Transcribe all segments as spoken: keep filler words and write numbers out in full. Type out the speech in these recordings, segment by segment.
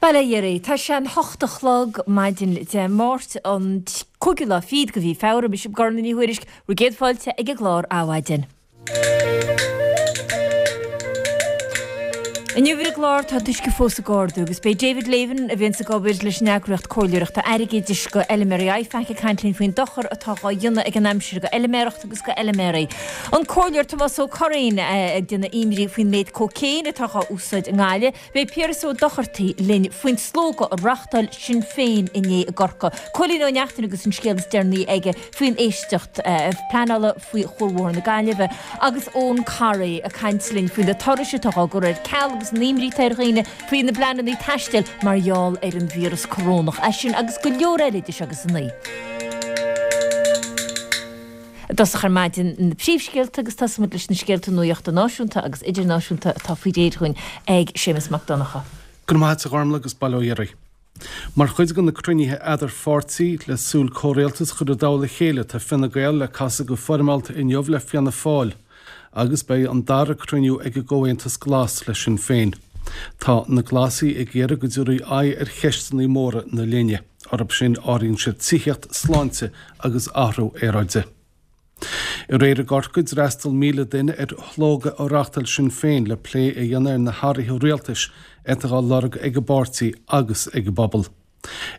Bail ó Dhia oraibh, tá sé an hocht a chlog maidin Dé Máirt an cúigiú lá fichead de mhí Feabhra, mise Gormfhlaith Ní Thuairisg, bhur gcéad fáilte ag an gclár Adhmhaidin. Inniu ar an gclár tá an t-uisce fós ag ardú agus beidh David Lavin, a bhíonns ag obair leis an eagraíocht comhairleoireachta airgeadais go fheilméaraí IFAC ag caint linn faoin dochar atá dhá dhéanamh ag an aimsir go fheilméaracht agus go fheilméaraí. An Comhairleoir Tomás Ó Curraoin ag déanamh imní faoin méid cócaon atá dhá úsáid i nGaillimh. Beidh Piaras Ó Dochartaigh linn faoin slógadh a reáchtáil Sinn Féin inné i gCorcaigh. Cóilín Ó Neachtain agus an scéal is deireanaí aige faoin éisteacht pleanála faoi Chuarbhóthar na Gaillimhe agus Eoin Corry ag caint linn faoi na turais atá á gcur ar ceal agus an imní atá ar dhaoine faoi na bpleananna taistil mar gheall ar an víreas corónach. É sin agus go leor eile idir seo agus a naoi. I dtosach ar maidin na príomhscéalta agus tosóimid leis na scéalta nuachta náisiúnta agus idirnáisiúnta atá faoi réir dhúinn ag Séamus Mac Donncha. Go raibh maith agat a Ghormfhlaith agus bail ó Dhia oraibh. Mar chuid de na cruinnithe eadar-pháirtí le súil comhrialtas a chur i dtoll a chéile tá Fine Gael le casadh go foirmeálta inniu le Fianna Fáil agus beidh an dara cruinniú ag an gComhaontas Glas le Sinn Féin. Tá na Glasaigh ag iarraidh go dtabharfaí aghaidh ar cheisteanna móra na linne. Orthu sin áiríonn siad tithíocht, sláinte agus athrú aeráide. Aréir i gCorcaigh d'fhreastail míle duine ar shlógadh a reáchtáil Sinn Féin le plé a dhéanamh ar na hathruithe rialtais atá á lorg ag an bpáirtí agus ag an bpobal.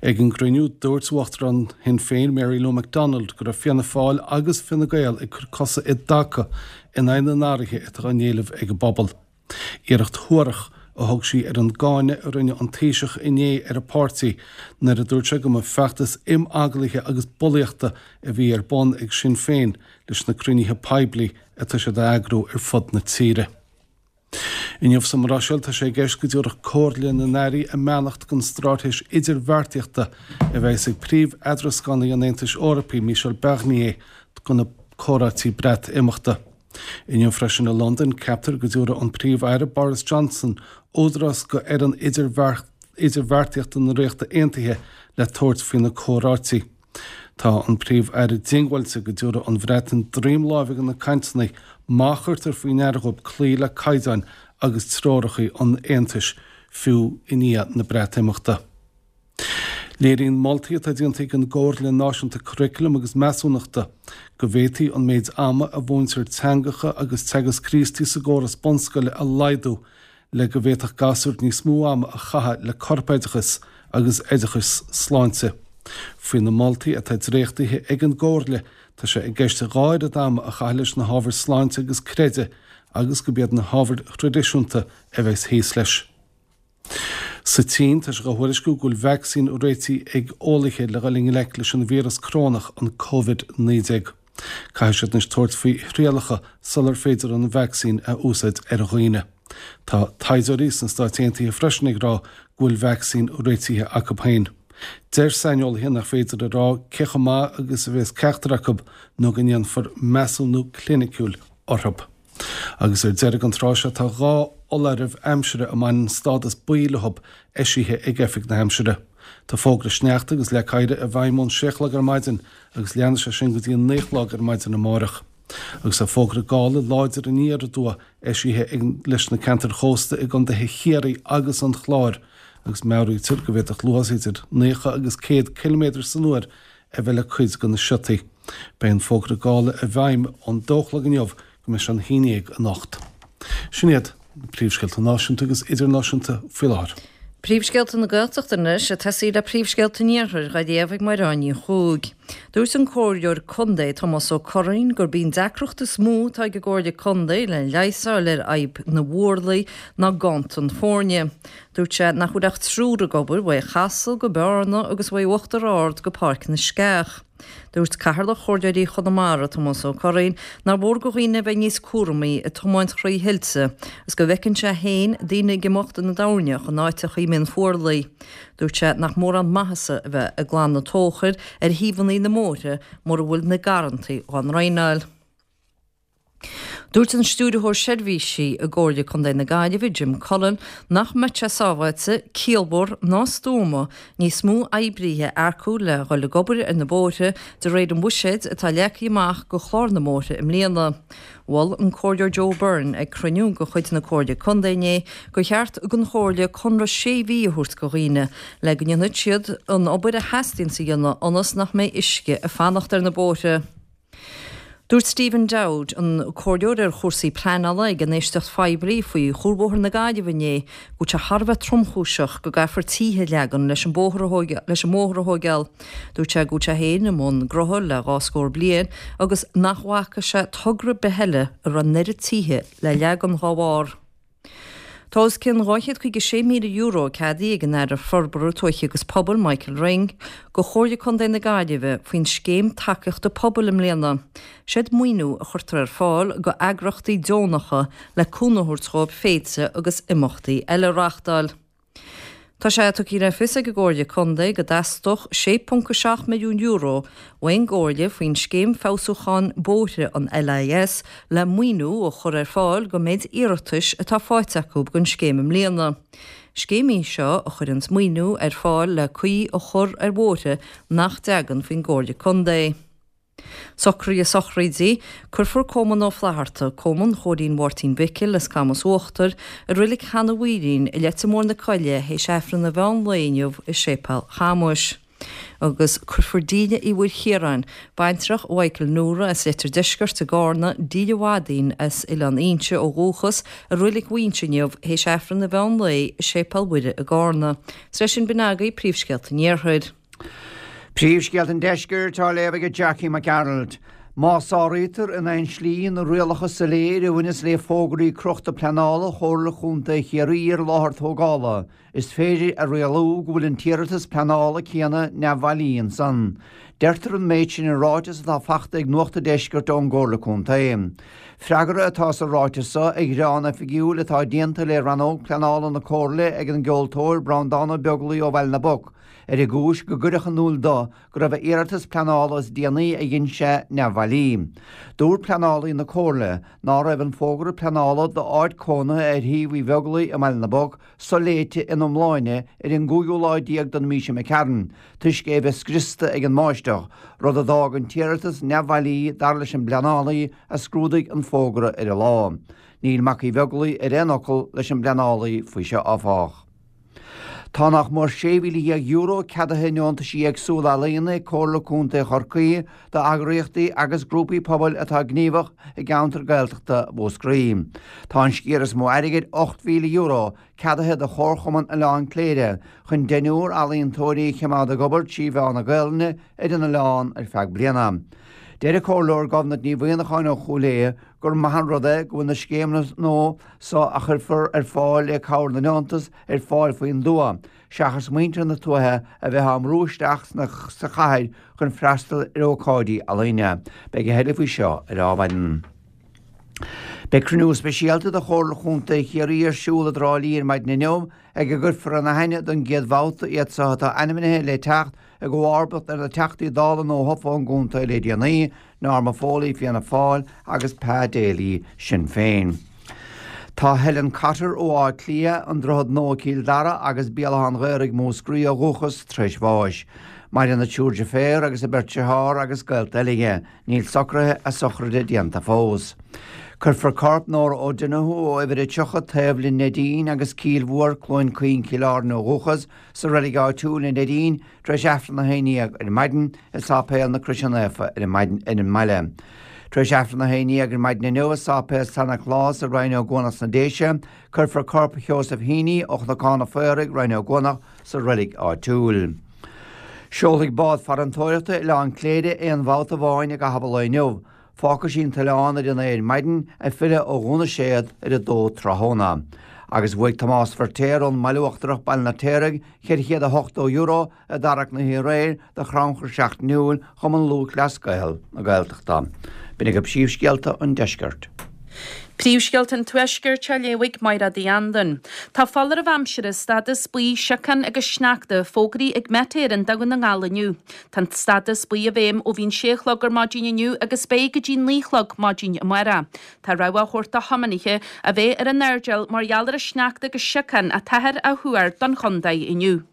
Ag an gcruinniú, dúirt Uachtarán Shinn Féin Mary Lou McDonald go raibh Fianna Fáil agus Fine Gael ag cur cosa i dtaca in aghaidh na n-athruithe atá á n-éileamh ag an bpobal. Iarracht shuarach a thug sí ar an gcáineadh a rinne an Taoiseach inné ar a páirtí nuair a dúirt sé go mba feachtas imeaglaithe agus bulaíochta a bhí ar bun ag Sinn Féin leis na cruinnithe poiblí atá siad a eagrú ar fud na tíre. Inniu sa mBruiséil tá sé i gceist go dtabharfadh Comhairle na nAirí a mbeannacht don straitéis idirbheartaíochta a bheas ag príomh-eadrascánaí an Aontais Eorpaigh, Michel Barnier, do na comhráití Breatimeachta. Inniu freisin i Londain, ceaptar go dtabharfaidh an Príomh-Aire Boris Johnson údarás go fhoireann idirbheartaíochta na Ríochta Aontaithe le tabhairt faoi na comhráití. Tá an Príomh-Aire diongbháilte go dtabharfaidh an Bhreatain droim láimhe do na cainteanna má chuirtear faoi ndeara dhóibh cloí le caighdeáin agus treoracha an Aontais, fiú i ndiaidh na Breatimeachta. Léiríonn moltaí atá déanta ag an gComhairle Náisiúnta Curaclaim agus Measúnachta go bhféadfaí an méid ama a mhúintear teangacha agus Teagasc Críostaí sa gcóras bunscoile a laghdú le go bhféadfadh gasúir níos mó ama a chaitheamh le corpoideachas agus oideachas sláinte. Faoi na moltaí atá dréachtaithe ag an gComhairle, tá sé i gceist dhá oiread ama a chaitheamh leis na hábhair sláinte agus creidimh agus gurb iad na hábhair thraidisiúnta a bheas thíos leis. Sa tSín, tá sé á thuairisciú go bhfuil vacsaín réitithe ag eolaithe le dhul i ngleic leis an víreas corónach, an Covid naoi déag. Caithfidh siad anois tabhairt faoi thrialacha sular féidir an vacsaín a úsáid ar dhaoine. Tá taighdeoirí sna Stáit Aontaithe freisin ag rá go bhfuil vacsaín réitithe acu féin. Deir saineolaithe nach féidir a rá cé chomh maith agus a bheas ceachtar acu nó go ndéanfar measúnú cliniciúil orthu. Agus ar deireadh an tráth seo tá dhá fholáireamh aimsire a mbaineann stádas buí leo eisithe ag Oifig na hAimsire. Tá fógra sneachta agus leac oighir i bhfeidhm ón sé a chlog ar maidin agus leanfaidh sé sin go dtí an naoi a chlog ar maidin amárach. Agus tá fógra gála láidir aniar aduaidh eisithe ag leis na ceantair chósta i gcontaetha Chiarraí agus an Chláir agus meabhraítear go bhféadfadh luas idir naocha agus céad ciliméadar san uair a bheith le cuid de na siotaí. Beidh an fógra gála i bhfeidhm ón dó a chlog inniu go mbeidh sé an haon déag anocht. Sin iad na príomhscéalta náisiúnta agus idirnáisiúnta faoi láthair. Príomhscéalta na Gaeltachta anois, ag tosaí le príomhscéalta an Iarthair, á léamh ag Máire Ní Chuaig. Dúirt an Comhairleoir Contae Tomás Ó Curraoin gurb í an deacracht is mó atá ag an gComhairle Contae le leigheas a fháil ar fhadhb na bhfuarlaí ná ganntan foirne. Dúirt sé nach bhfuil ach triúr ag obair uaidh Chasla go Bearna agus uaidh Uachtar Ard go Páirc na Sceach. Dúirt Cathaoirleach Chomhairleoirí Chonamara, Tomás Ó Curraoin, nár mhór do dhaoine a bheith níos cúramaí ag tiomáint thrí thuilte agus go bhfeiceann sé féin daoine ag imeacht ina dtoirneach in áiteacha a mbíonn fuarlaigh. Dúirt sé nach mórán maitheasa a bheith ag glanadh tóchair ar thaobhanna na mbóithre mura bhfuil na garrantaí á ndraenáil. Dúirt an Stiúrthóir Seirbhísí i gComhairle Contae na Gaillimhe, Jim Cullen, nach mbeadh sé sábháilte, ciallmhar ná stuama níos mó oibrithe a earcú le dhul ag obair ar na bóithre de réir an bhuiséid atá leagtha amach do chlár na mbóithre i mbliana. Mhol an Comhairleoir Joe Byrne ag cruinniú de chuid na Comhairle Contae inné gur cheart don Chomhairle conradh sé mhí a thabhairt do dhaoine le go ndéanfaidh siad an obair a theastaíonn a dhéanamh ionas nach mbeidh uisce ag fanacht ar na bóithre. Dúirt Stephen Dowd, an comhairleoir ar chúrsaí pleanála ag an éisteacht phoiblí faoi Chuarbhóthar na Gaillimhe inné, go bhfuil sé thar a bheith tromchúiseach go gcaithfear tithe a leagan leis an bóthar leis an mbóthar a thógáil. Dúirt sé go bhfuil sé féin i mbun gnótha le dhá scór bliain agus nach bhfaca sé togra ar bith eile a raibh an oiread tithe le leagan dá bharr. Tá os cionn dhá chéad caoga sé míle euro ceadaithe ag an Aire Forbartha Tuaithe agus Pobail Michael Ring do Chomhairle Contae na Gaillimhe faoin Scéim Tacaíochta Pobail i mbliana. Seod maoiniú a chuirtear ar fáil do eagraíochtaí deonacha le cúnamh a thabhairt dóibh féilte agus imeachtaí eile a reáchtáil. Tá sé tugtha le fios ag an gComhairle Contae go dteastódh sé ponc a seacht milliún euro ón gComhairle faoin Scéim Feabhsúcháin Bóithre an LIS le maoiniú a chur ar fáil don méid iarratais atá faighte acu don scéim i mbliana. Scéim í seo a chuireanns maoiniú ar fáil le caoi a chur ar bhóithre nach dtagann faoin gComhairle Contae. Socruithe sochraide, Cuirfear Coman Ó Flatharta, Coman Chóirín Mháirtín Mhicil as Camas Uachtair, i Reilig Chanadh Mhaoilín i Leitir Móir na Coille théis Aifreann an mheán lae inniu i Séipéal Chamuis. Agus cuirfear Díle Uí Mhuirchiaráin, baintreach Mhichael Nora as Leitir Deiscirt i gCarna, Díle Mhaidín as Oileán Fhínse ó dhúchas, i Reilig Mhaínse inniu théis Aifreann an mheán lae i Séipéal Mhuire i gCarna. Is leis sin b'in agaibh príomhscéalta an Iarthair. Príomhscéalta an Deiscirt á léamh ag Jackie Mac Gearailt. Má sáraítear in aon slí na rialacha soiléir a bhaineas le fógraí crochta pleanála Chomhairle Chontae Chiarraí ar láthair tógála, is féidir a rialú go bhfuil an t-iarratas pleanála céanna neamhbhailí ansan. Deirtear an méid sin i ráiteas atá fachta ag Nuacht an Deiscirt ón gComhairle Contae. Freagra atá sa ráiteas seo ar ghearán oifigiúil atá déanta le Rannóg Pleanála na Comhairle ag an gceoltóir Breandán Ó Beaglaoich ó Bhaile na bPoc, ar an gcúis go gcuireadh in iúl dó go raibh a iarratas pleanála is déanaí a dhein sé neamhbhailí. Dúirt pleanálaí na Comhairle ná raibh an fógra pleanála d'áit cónaithe ar thaobh Uí Bheaglaoich i mBaile na bPoc soléite ina iomláine ar an gcúigiú lá déag den mhí seo imigh tharainn, toisc é a bheith scriosta ag an mbáisteach, rud a d'fhág an t-iarratas neamhbhailí dar leis an bpleanálaí a scrúdaigh an fógra ar an lá. Níl Mac Uí Bheaglaoich ar aon fhocal leis an bpleanálaí faoi seo áfach. Tá nach mór sé mhíle dhéag euro ceadaithe i ndeontaisí éagsúla ealaíona ag Comhairle Contae Chorcaí d'eagraíochtaí agus grúpaí pobail atá gníomhach i gceantar Gaeltachta Mhúscraí. Tá an sciar is mó airgid, ocht mhíle euro, ceadaithe do Chomharchumann Oileán Cléire chun deichniúr ealaíontóirí a choimeád ag obair trí mheán na Gaelainne ar an oileán ar feadh bliana. Deir an Comhairleoir Gobnait Ní Mhuimhneacháin ó Chúil Aodha gur maith an rud é go bhfuil na scéimeanna nua so a chuirfear ar fáil le cabhair na ndeontas ar fáil faoin dtuath, seachas muintir na tuaithe a bheith á mbrú isteach sa chathair chun freastal ar ócáidí ealaíne. Beidh a thuilleadh faoi seo ar Adhmhaidin. Beidh cruinniú speisialta de Chomhairle Chontae Chiarraí ar siúl i dTrá Lí ar maidin inniu ag a gcuirfear ina aithne don gcéad bhabhta iad so atá ainmnithe le teacht i gcomharbacht ar na Teachtaí Dála nuathofa ón gcontae le déanaí, Norma Foley, Fianna Fáil, agus Pa Daly, Sinn Féin. Tá Helen Cotter ó Áth Cliath, An Droichead Nua, Cill Dara agus Béal Átha an Ghaorthaidh, Múscraí ó dhúchas, tar éis bháis. Maireann a triúr deirféar agus a beirt dearthár agus gaolta eile aici. Níl socruithe a sochraide déanta fós. Cuirfear corp Nóra O'Donoghue ó uimhir a tríocha taobh le Neidín agus Cill Mhór, Cluain Caoin, Cill Airne ó dhúchas, sa reilig áitiúil i Neidín tar éis Aifreann a haon dhéag ar maidin i Sáipéal na Croise Naofa ar an mbaile. Tar éis Aifreann a haon dhéag ar maidin inniu i Sáipéal San Nioclás i Rinn Ó gCuanach sna Déise, cuirfear corp Sheosaimh Heaney ó Chnocán an Phaoraigh, Rinn Ó gCuanach, sa reilig áitiúil. Seolfaidh bád farantóireachta Oileán Cléire aon bhabhta amháin i gcaitheamh an lae inniu. Fágfaidh sí an t-oileán ar a naoi ar maidin, ag filleadh ó Dhún na Séad ar a dó tráthnóna. Agus bhuaigh Tomás Feirtéar ón mBaile Uachtarach, Baile an Fheirtéaraigh, ceithre chéad a hochtó euro i dtarrac na hoíche aréir do chrannchur seachtainiúil Chumann Lúthchleas Gael na Gaeltachta. B'in agaibh príomhscéalta an deiscirt. Príomhscéalta an Tuaiscirt á léamh ag Máire Uí Anluain. Tá foláireamh aimsire stádas buí siocán agus sneachta fógraithe ag Met Éireann do Dhún na nGall inniu. Tá an stádas buí i bhfeidhm ó bhí an sé a chlog ar maidin inniu agus beidh go dtí naoi a chlog maidin amárach. Tá rabhadh á thabhairt do thiománaithe a bheith ar a n-airdeall mar gheall ar an sneachta agus siocán atáthar á thuar don chontae inniu.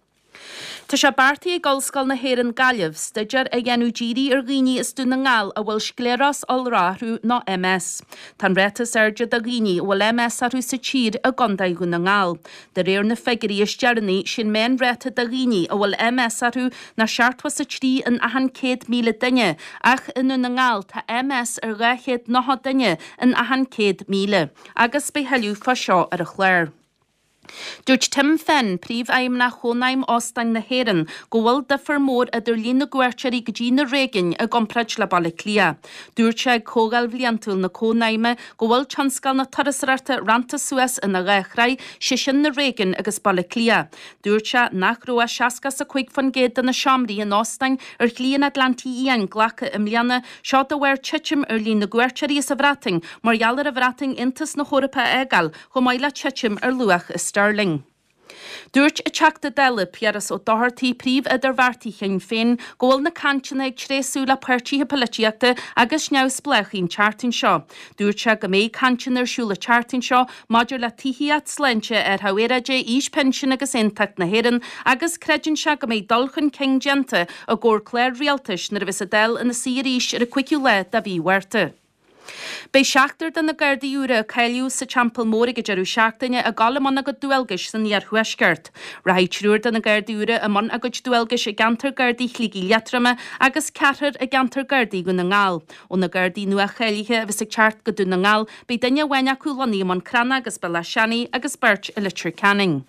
Tá sé beartaithe ag Ollscoil na hÉireann Gaillimh staidéar a dhéanamh dírithe ar dhaoine as Dún na nGall a bhfuil scléarás iolrach orthu nó MS. Tá an ráta is airde de dhaoine a bhfuil MS orthu sa tír i gContae Dhún na nGall. De réir na figiúirí is deireanaí, sé'n meánráta de dhaoine a bhfuil MS orthu ná seachtó is a trí in achan céad míle duine, ach i nDún na nGall tá MS ar dhá chéad nócha duine in achan céad míle. Agus beidh thuilleadh fá seo ar an chlár. Dúirt Tim Finn, Príomhfheidhmeannach Chónaidhm Óstáin na hÉireann, go bhfuil difear mór idir líon na gcuairteoirí go dtí na réigiúin i gcomparáid le Baile Átha Cliath. Dúirt sé ag comhdháil bhliantúil na Cónaidhme go bhfuil tionscal na turasóireachta rannta suas ina dhá shraith, sé sin na réigiúin agus Baile Átha Cliath. Dúirt sé nach raibh ach seasca is a cúig faoin gcéad de na seomraí in óstáin ar Shlí an Atlantaigh Fhiáin glactha i mbliana, seo de bharr titim ar líon na gcuairteoirí as an Bhreatain mar gheall ar an Bhreatain Aontas na hEorpa a fhágáil, chomh maith le titim ar luach an sterling. Dúirt an Teachta Dála Piaras Ó Dochartaigh, príomh-idirbheartaí Shinn Féin, go bhfuil na cainteanna ag tréasú le páirtithe polaitíochta agus neamhspleáchaí an tseachtain seo. Dúirt sé go mbeidh cainteanna ar siúl an tseachtain seo maidir le tithíocht, sláinte, athrú aeráide, aois pinsin agus aontacht na hÉireann agus creideann sé go mbeidh dul chun cinn déanta i gcomhair clár rialtais nuair a bheas an Dáil ina suí arís ar an cúigiú lá de mhí Mhárta. Beidh seachtar de na Gardaí úra a cáilíodh sa Teampall Mór ag an deireadh seachtaine ag dul i mbun a gcuid dualgais san iarthuaisceart. Rachaidh triúr de na Gardaí úra i mbun a gcuid dualgais i gceantar Gardaí Shligigh Liatroma agus ceathrar i gceantar Gardaí Dhún na nGall. Ó na Gardaí nua-cháilithe a bheas ag teacht go Dún na nGall, beidh duine amháin acu lonnaithe i mBun Cranncha agus Béal Átha Seanaidh agus beirt i Leitir Ceanainn.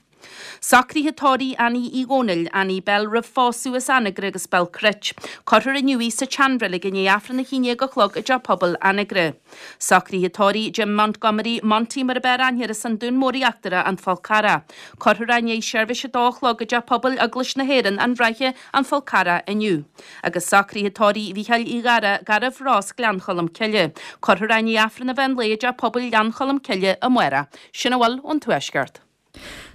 Socruithe tórraimh Annie Uí Dhónaill, Annie Bell roimh phósadh as Anagaire agus Béal Cruit. Cuirfear inniu í sa tseanreilig i ndiaidh Aifreann a haon déag a chlog i dTeach Pobail Anagaire. Socruithe tórraimh Jim Montgomery, Monty mar ab fhearr aithne air as an Dún Mór Íochtarach, An Fál Carrach. Cuirfear é i ndiaidh seirbhís a dó a chlog i dTeach Pobail Eaglais na hÉireann, An Ráithe, An Fál Carrach inniu. Agus socruithe tórraimh Mhícheáil Uí Ghadhra, Garbh Ros, Gleann Cholm Cille. Cuirfear é i ndiaidh Aifreann an mheán lae i dTeach Pobail Ghleann Cholm Cille amárach. Sin a bhfuil ón Tuaisceart.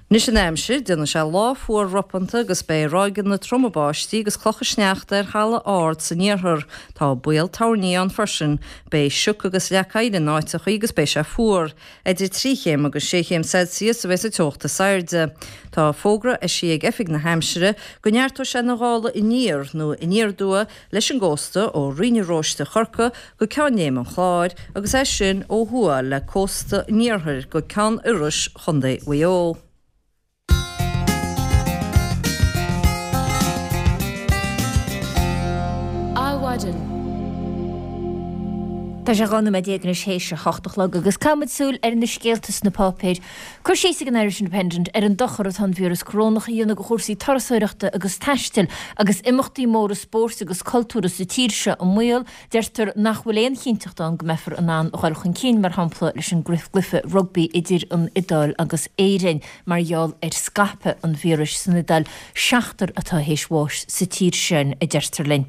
Anois an aimsir, déanfaidh sé lá fuar ropanta agus beidh ráigeanna troma báistí agus clocha sneachta ar thalamh ard san iarthar. Tá baol toirní ann freisin. Beidh sioc agus leac oighir in áiteachaí agus beidh sé fuar. Idir trí chéim agus sé chéim Celsius a bheas an teocht is airde. Tá fógra eisithe ag Oifig na hAimsire go neartóidh sé na gála aniar nó aniar aduaidh leis an gcósta ó Rinn an Róiste Chorcaí go Ceann Léim an Chláir agus as sin ó thuaidh le cósta an iarthair go Ceann Iorrais Chontae Mhaigh Eo. Adhmhaidin. Tá sé dhá nóiméad déag anois théis a hocht a chlog agus caithfimid súil ar na scéalta sna páipéir. Cur síos ag an Irish Independent ar an dochar atá an víreas corónach a dhéanamh do chúrsaí turasóireachta agus taistil agus imeachtaí móra spóirt agus cultúrtha sa tír seo i mbaol. Deirtear nach bhfuil aon chinnteacht ann go mbeifear in ann a dhul chun cinn, mar shampla, leis an gcluiche rugbaí idir an Iodáil agus Éirinn mar gheall ar scaipeadh an víris san Iodáil. Seachtar atá théis bháis sa tír sin, a deirtear linn.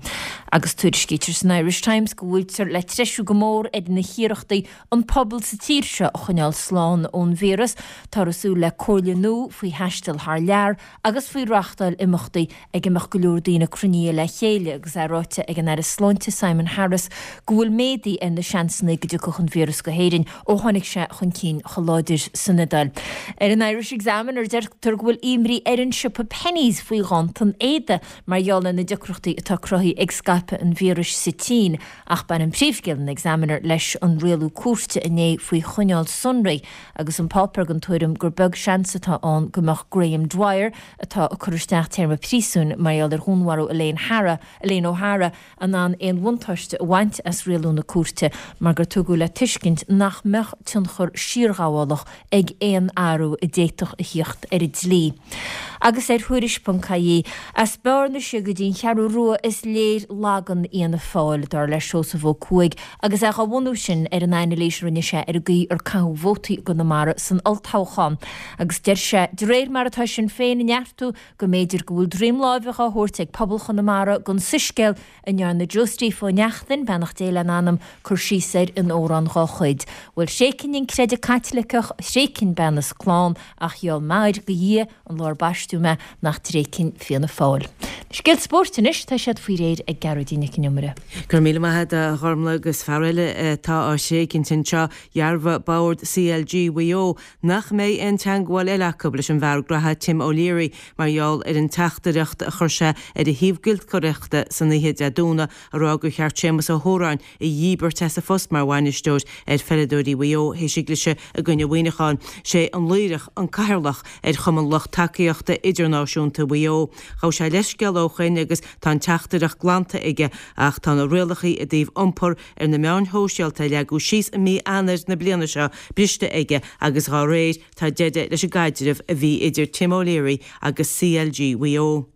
Agus tuairiscítear san Irish Times go bhfuiltear le treisiú go mór ar na hiarrachtaí an pobal sa tír seo a choinneáil slán ón víreas. Táthar ag súil le comhairle nua faoi thaisteal thar lear agus faoi reáchtáil imeachtaí ag a mbeadh go leor daoine cruinnithe le chéile agus é ráite ag an Aire Sláinte Simon Harris go bhfuil méadaithe ar na seansanna go dtiocfadh an víreas go hÉirinn ó tháinig sé chun cinn chomh láidir san Iodáil. Ar an Irish Examiner deirtear go bhfuil imní ar an siopa Penneys faoi ghanntan éadaí mar gheall ar na deacrachtaí atá cruthaithe ag scaipeadh an víris sa tSín ach baineann príomhscéal an Examiner leis an rialú cúirte inné faoi choinneáil sonraí agus an páipéar den tuairim gur beag seans atá ann go mbeadh Graham Dwyer, atá ag cur isteach téarma príosúin mar gheall ar dhúnmharú Elaine Hara, Elaine O'Hara, in ann aon bhuntáiste a bhaint as rialú na cúirte mar gur tugadh le tuiscint nach mbeadh tionchar siarghabhálach ag aon athrú a d'fhéadfadh a theacht ar an dlí. Agus ar Thuairisc ponc ie, as Bearna siar go dtí an Cheathrú Rua is léir lagan Fhianna Fáil, dar le Seosamh Ó Cuaig, agus é é dhá bhunú sin ar an anailís a rinne sé ar an gcaoi ar caitheadh vótaí i gConamara san olltoghchán. Agus deir sé, de réir mar atá Sinn Féin ag neartú, go mb'fhéidir go bhfuil droim láimhe dhá thabhairt ag pobal Chonamara don soiscéal a ndearna Joe Steve Ó Neachtain, beannacht Dé lena anam, cur síos air in amhrán dhá chuid. Bhuel, thréigfinn an creideamh Caitliceach, thréigfinn bean is clann, ach gheall m'athair go Dhia an lá ar baisteadh mé nach dtréigfinn Fianna Fáil. Na scéalta spóirt anois, tá siad faoi réir ag Gearóidín Nic an Iomaire. Go raibh míle maith agat a Ghormlaith agus fear eile atá á thréigint anseo, dhearbhaigh Bord CLG Mhaigh Eo nach mbeidh aon teagmháil eile acu leis an bhfear graithe Tim O'Leary mar gheall ar an teachtaireacht a chuir sé ar a shuíomh giolcaireachta san oíche Dé Domhnaigh a rá gur cheart Séamus Ó hÓráin a dhíbirt as a phost mar bhainisteoir ar pheileadóirí Mhaigh Eo théis a gcliseadh i gcoinne Mhuineacháin. Sé an Laoireach an cathaoirleach ar Chumann Lucht Tacaíochta Idirnáisiúnta Mhaigh Eo. Ghabh sé leithscéal ó shoin agus tá an teachtaireacht glanta aige ach tá na rialacha i dtaobh iompar ar na meáin shóisialta a leagadh síos i mí Eanáir na bliana seo briste aige agus dhá réir tá deireadh leis an gcaidreamh a bhí idir Tim O'Leary agus CLG Mhaigh Eo.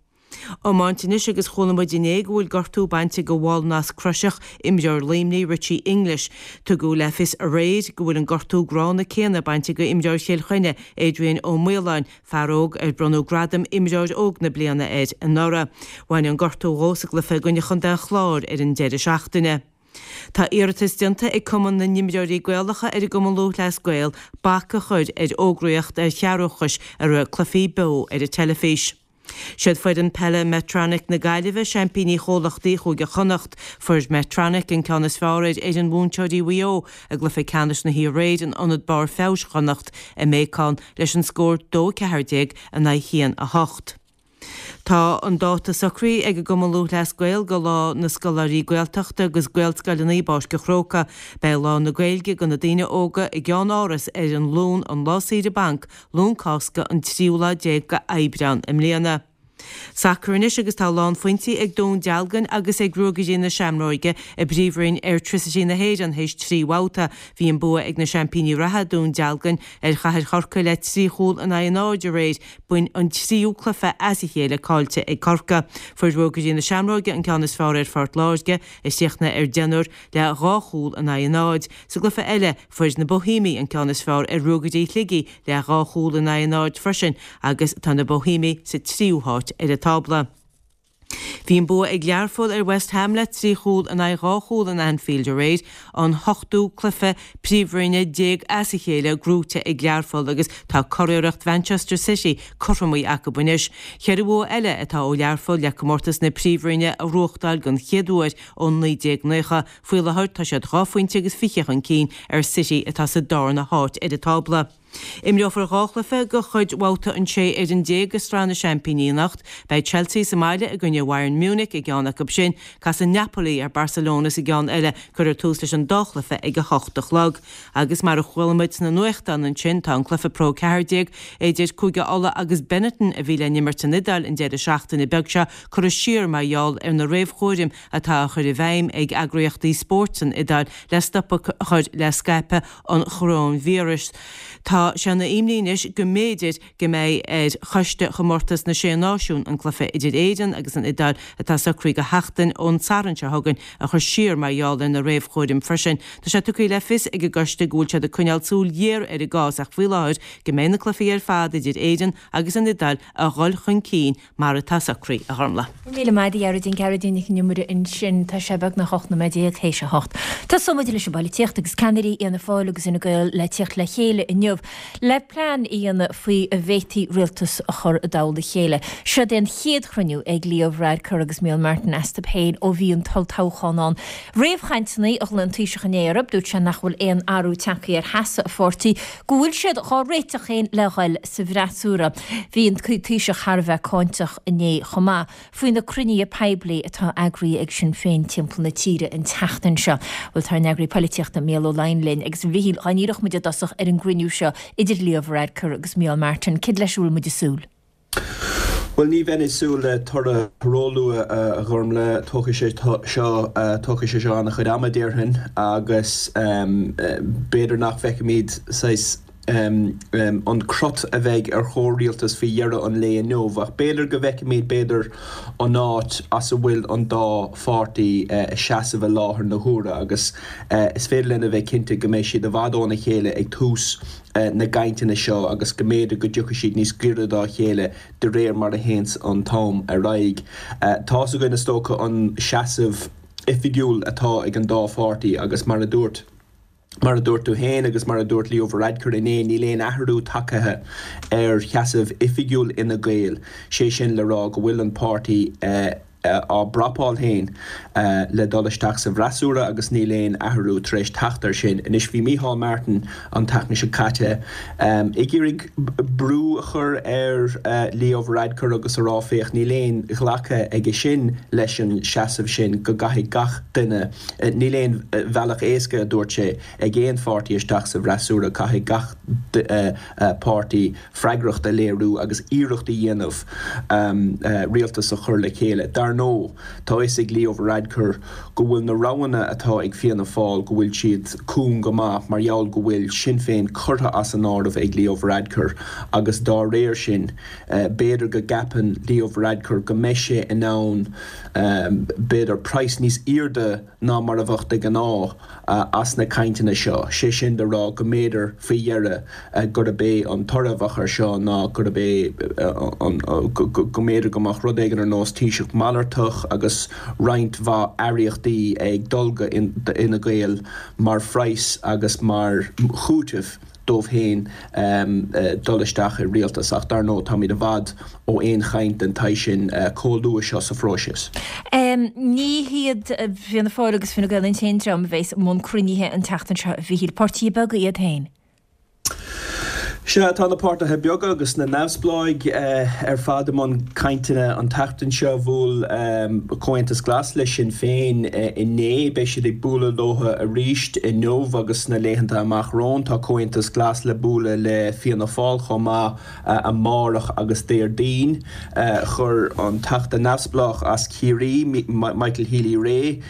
Iomáint anois agus chuala muid inné go bhfuil gortú bainte go bhall Nasc Croiseach, imreoir Luimnigh, Richie English. Tugadh le fios aréir go bhfuil an gortú gránna céanna bainte go imreoir Chill Chainnigh, Adrian Ó Maoláin, fear óg ar bronnadh gradam Imreoir Óg na Bliana air anuraidh. Bhain an gortú dhó sa gcluiche i gcoinne Chontae an Chláir ar an deireadh seachtaine. Tá iarratas déanta ag Cumann na nImreoirí Gaelacha ar an gCumann Lúthchleas Gael bac a chur ar fhógraíocht ar chearrbhachais i rith cluichí beo ar an teilifís. Siad foireann peile Medtronic na Gaillimhe seaimpíní chomhlachtaí Chúige Chonnacht. Fuair Medtronic an ceann is fearr ar fhoireann mhúinteoirí Mhaigh Eo i gcluiche ceannais na hiarraidh in Ionad Barr Feabhais Chonnacht i mBéacán leis an scór dó a ceathair déag in aghaidh haon a hocht. Tá an dáta socraithe ag an gCumann Lúthchleas Gael go Lá na Scoláirí Gaeltachta agus Gaelscoileanna i bPáirc an Chrócaigh. Beidh Lá na Gaeilge go na daoine óga i gceann-áras ar an Luan an lá saoire banc, Luan Cásca an tríú lá déag go Aibreán i mbliana. Sacar anois agus tá lánphointí ag Dún Dealgan agus ag Ruagairí na Seamróige i bPríomhroinn Airtricity na hÉireann théis trí bhabhta. Bhí an bua ag na seaimpíní reatha, Dún Dealgan, ar Chathair Chorcaí le trí chúl in aghaidh a náid aréir. B'in an tríú cluiche as a chéile caillte ag Corcaigh. Fuair Ruagairí na Seamróige an ceann is fearr ar Phort Láirge, a chríochnaigh ar deichniúr, le dhá chúl in aghaidh a náid. Sa gcluiche eile, fuair na Boihéamaigh an ceann is fearr ar Ruagairí Shligigh le dhá chúl in aghaidh a náid freisin agus tá na Boihéamaigh sa tríú háit ar an tábla. Bhí an bua ag Learpholl ar West Ham le trí chúl in aghaidh dhá chúl in Anfield aréir, an hochtú cluiche Príomhroinne déag as a chéile gnóite ag Learpholl agus tá curiarracht Mhanchester City cothromaithe acu anois. Ceithre bhua eile atá ó Learpholl le comórtas na Príomhroinne a ghnóthachtáil den chéad uair ó naoi déag naocha. Faoi láthair tá siad dhá phointe agus fiche chun cinn ar City atá sa darna háit ar an tábla. Imreofar dhá chluiche de chuid bhabhta an sé fhoireann déag de Shraith na Seaimpíní anocht. Beidh Chelsea sa mbaile i gcoinne Bhayern Munich i gceann acu sin. Casfaidh Napoli ar Barcelona sa gceann eile. Cuirfear tús leis an dá chluiche ag a hocht a chlog. Agus mar a chuala muid sna nuachtáin ansin, tá an cluiche Pro ceathair déag idir Cúige Uladh agus Benetton a bhí le n-imirt san Iodáil an deireadh seachtaine beag seo curtha siar mar gheall ar na réamhchúraim atá á chur i bhfeidhm ag eagraíochtaí spóirt san Iodáil le stop a chur le scaipeadh an choróinvíris. Tá sé ina imní anois go mb'fhéidir go mbeidh ar Choiste Chomórtas na Sé Náisiún an cluiche idir Éirinn agus an Iodáil atá socraithe go sheachtain ón Satharn seo chugainn a chur siar mar gheall ar na réamhchúraim freisin. Tá sé tugtha le fios ag an gcoiste go bhfuil siad ag coinneáil súil ghéar ar an gcás ach faoi láthair go mbeidh na cluichí ar fad idir Éirinn agus an Iodáil a dhul chun cinn mar atá socraithe, a Ghormlaith. Míle maith agat a Ghearóidín, Gearóidín Nic an Iomaire ansin. Tá sé beagnach ocht nóiméad déag théis a hocht. Tosóidh muid leis an bpolaitíocht agus ceannairí Fhianna Fáil agus Fhine Gael le tíocht le chéile inniu le plean a dhéanamh faoi a bhféadfaí rialtas a chur i dtoll a chéile. Seod é an chéad chruinniú ag Leo Varadkar agus Micheál Martin astu féin ó bhí an t-olltoghchán ann. Réamhchainteanna a ghlaoigh an Taoiseach inné orthu, dúirt sé nach bhfuil aon athrú tagtha ar sheasamh a pháirtí, go bhfuil siad dhá réiteach féin le dhul sa bhfreasúra. Bhí an Taoiseach thar a bheith cáinteach inné chomh maith faoi na cruinnithe poiblí atá eagraithe ag Sinn Féin timpeall na tíre an tseachtain seo. Bhuel tá ár n-eagraí polaitíochta Mícheál Ó Laighin linn agus a Mhichíl, dá ndíreodh muid i dtosach ar an gcruinniú seo idir Leo Varadkar agus Micheál Martin, céard leis a bhfuil muid ag súil? Bhuel, ní bheinn ag súil le toradh róluath, a Ghormlaith. Tógfaidh sé seo, tógfaidh sé seo an-chuid ama, déarfainn, agus b'fhéidir nach bhfeicfimid saghas an crot a bheidh ar chomhrialtas faoi dheireadh an lae inniu, ach b'fhéidir go bhfeicfimid b'fhéidir an áit as a bhfuil an dá pháirtí ag seasamh i láthair na huaire agus is féidir linn a bheith cinnte go mbeidh siad i bhfad óna chéile ag tús na gcainteanna seo agus go mb'fhéidir go dtiocfaidh siad níos gaire dá chéile de réir mar a théanns an t-am ar aghaidh. Tá's againn is dócha an seasamh oifigiúil atá ag an dá pháirtí agus mar a dúirt Mar a dúirt tú féin agus mar a dúirt Leo Varadkar inné, níl aon athrú tagtha ar sheasamh oifigiúil Fhine Gael, sé sin le rá go bhfuil an páirtí á bprapáil féin le dul isteach sa bhfreasúra agus níl aon athrú tar éis teacht air sin. Anois bhí Micheál Martin an tseachtain seo caite ag iarraidh brú a chur ar Leo Varadkar agus a rá féach níl aon ghlacadh aige sin leis an seasamh sin go gcaithfidh gach duine, níl aon bhealach éasca a dúirt sé, ag aon pháirtí isteach sa bhfreasúra, caithfidh gach páirtí freagracht a léiriú agus iarracht a dhéanamh rialtas a chur le chéile. Dar ndóigh, tá a fhios ag Leo Varadkar go bhfuil na roghanna atá ag Fianna Fáil, go bhfuil siad cúng go maith mar gheall go bhfuil Sinn Féin curtha as an áireamh ag Leo Varadkar agus dá réir sin, b'fhéidir go gceapann Leo Varadkar go mbeidh sé in ann b'fhéidir praghas níos airde ná mar a bheadh de ghnáth as na cainteanna seo, sé sin le rá go mb'fhéidir faoi dheireadh gurb é an toradh a bheadh air seo ná gurb é an go mb'fhéidir go mbeadh rud éigin ar nós Taoiseach malartach agus roinnt mhaith aireachtaí ag dul go Fhine Gael mar phraghas agus mar chúiteamh. dóibh féin dul isteach i rialtas ach dar ndóigh táimid i bhfad ó aon chaint den tsaghas sin chomh luath seo sa phróiseas. Ní hiad Fianna Fáil agus Fine Gael an t-aon dream a bheas i mbun cruinnithe an tseachtain seo, a Mhíchíl, páirtithe beaga iad féin. Sea, tá na páirtithe beaga agus na neamhspleáigh ar fad i mbun cainteanna an tseachtain seo. Bhuail Comhaontas Glas le Sinn Féin inné. Beidh siad ag bualadh leo arís inniu agus sna laethanta amach romhainn. Tá Comhaontas Glas le bualadh le Fianna Fáil chomh maith amárach agus Déardaoin. Chuir an Teachta neamhspleách as Ciarraí, Michael Healy-Rae,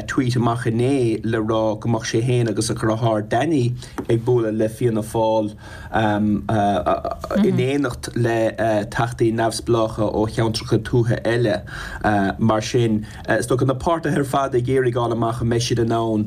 tweet amach inné le rá go mbeadh sé féin agus a dheartháir Danny ag bualadh le Fianna Fáil. in éineacht le teachtaí neamhspleácha ó cheantracha tuaithe eile. Mar sin, is dócha na páirtithe ar fad ag iarraidh fháil amach an mbeidh siad in ann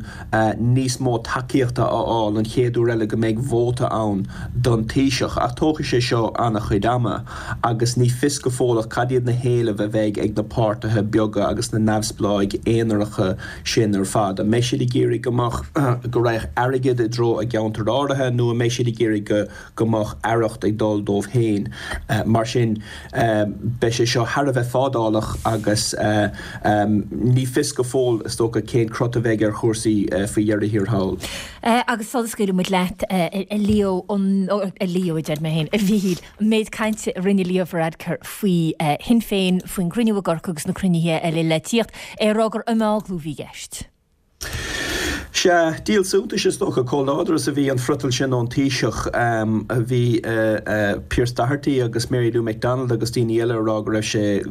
níos mó tacaíochta a fháil an chéad uair eile go mbeidh vóta ann don Taoiseach. Ach tógfaidh sé seo an-chuid ama agus ní fios go fóilleach cad iad na héilimh a bheidh ag na páirtithe beaga agus na neamhspleáigh aonaracha sin ar fad. An mbeidh siad ag iarraidh go mbeadh, go raghadh airgead i dtreo a gceantar áirithe nó an mbeidh siad ag iarraidh go go mbeadh aireacht ag dul dóibh féin. Mar sin, beidh sé seo thar a bheith fadálach agus ní fios go fóill, is dócha, cén crot a bheidh ar chúrsaí faoi dheireadh thiar thall. Agus sula scaoilfidh muid leat, a Leo, a Leo a deir mé féin, a Mhíchíl, an méid cainte a rinne Leo Varadkar faoi Shinn Féin, faoin gcruinniú i gCorcaigh agus na cruinnithe eile le tíocht, é ag rá gur imeaglú a bhí i gceist. Sea, díol suntais is dócha chomh láidir is a bhí an friotal sin ón Taoiseach. Bhí Pearse Doherty agus Mary Lou McDonald agus daoine eile ag rá go raibh sé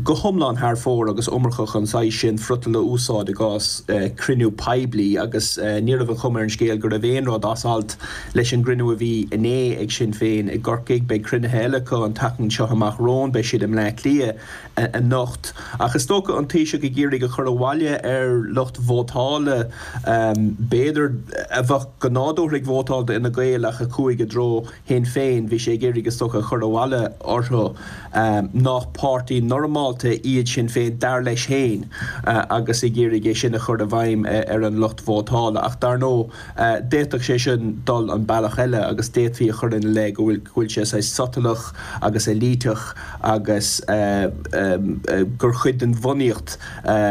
go hiomlán thar fóir agus iomarcach an saghas sin friotail a úsáid i gcás cruinniú poiblí agus ní raibh an chuma ar an scéal go raibh aon rud as alt leis an gcruinniú a bhí inné ag Sinn Féin i gCorcaigh. Beidh cruinnithe eile acu an tseachtain seo amach romhainn, beidh siad i mBleá Cliath anocht. Ach is dócha an Taoiseach ag iarraidh a chur abhaile ar lucht vótála, b'fhéidir, a bheadh go nádúrtha ag vótáil d'Fhine Gael ach a chuaigh i dtreo Shinn Féin, bhí sé ag iarraidh is dócha a chur abhaile orthu nach páirtí normálta iad Sinn Féin, dar leis féin, agus ag iarraidh é sin a chur i bhfeidhm ar an lucht vótála. Ach dar ndóigh, d'fhéadfadh sé sin dul an bealach eile agus d'fhéadfaí a chur ina leith go bhfuil sé saghas sotalach agus éilíteach agus gur chuid den bhunaíocht,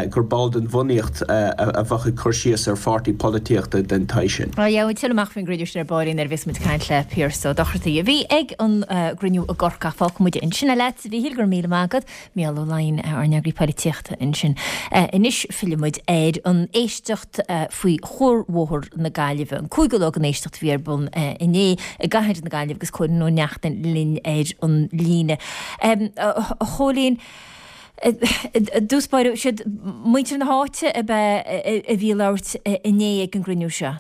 gur ball den bhunaíocht a bheadh ag cur síos ar pháirtí polaitíochta den tsaghas sin. Gheobhaidh tuilleadh amach faoin gcruinniú sin ar baillín nuair a bheas muid ag caint le Pearse Ó Dochartaigh a bhí ag an gcruinniú i gCorcaigh. Fágfaidh muid ansin é leat, a Mhíchíl, go raibh míle maith agat. Mícheál Ó Laighin, ár n-eagraí polaitíochta ansin. Anois fillfidh muid ar an éisteacht faoi Chuarbhóthar na Gaillimhe, an cúigiú lá den éisteacht a bhí ar bun inné i gcathair na Gaillimhe agus Cóilín Ó Neachtain linn ar an líne. A Chóilín, i dtús báire, siad muintir na háite ab ea a bhí ag labhairt inné ag an gcruinniú seo?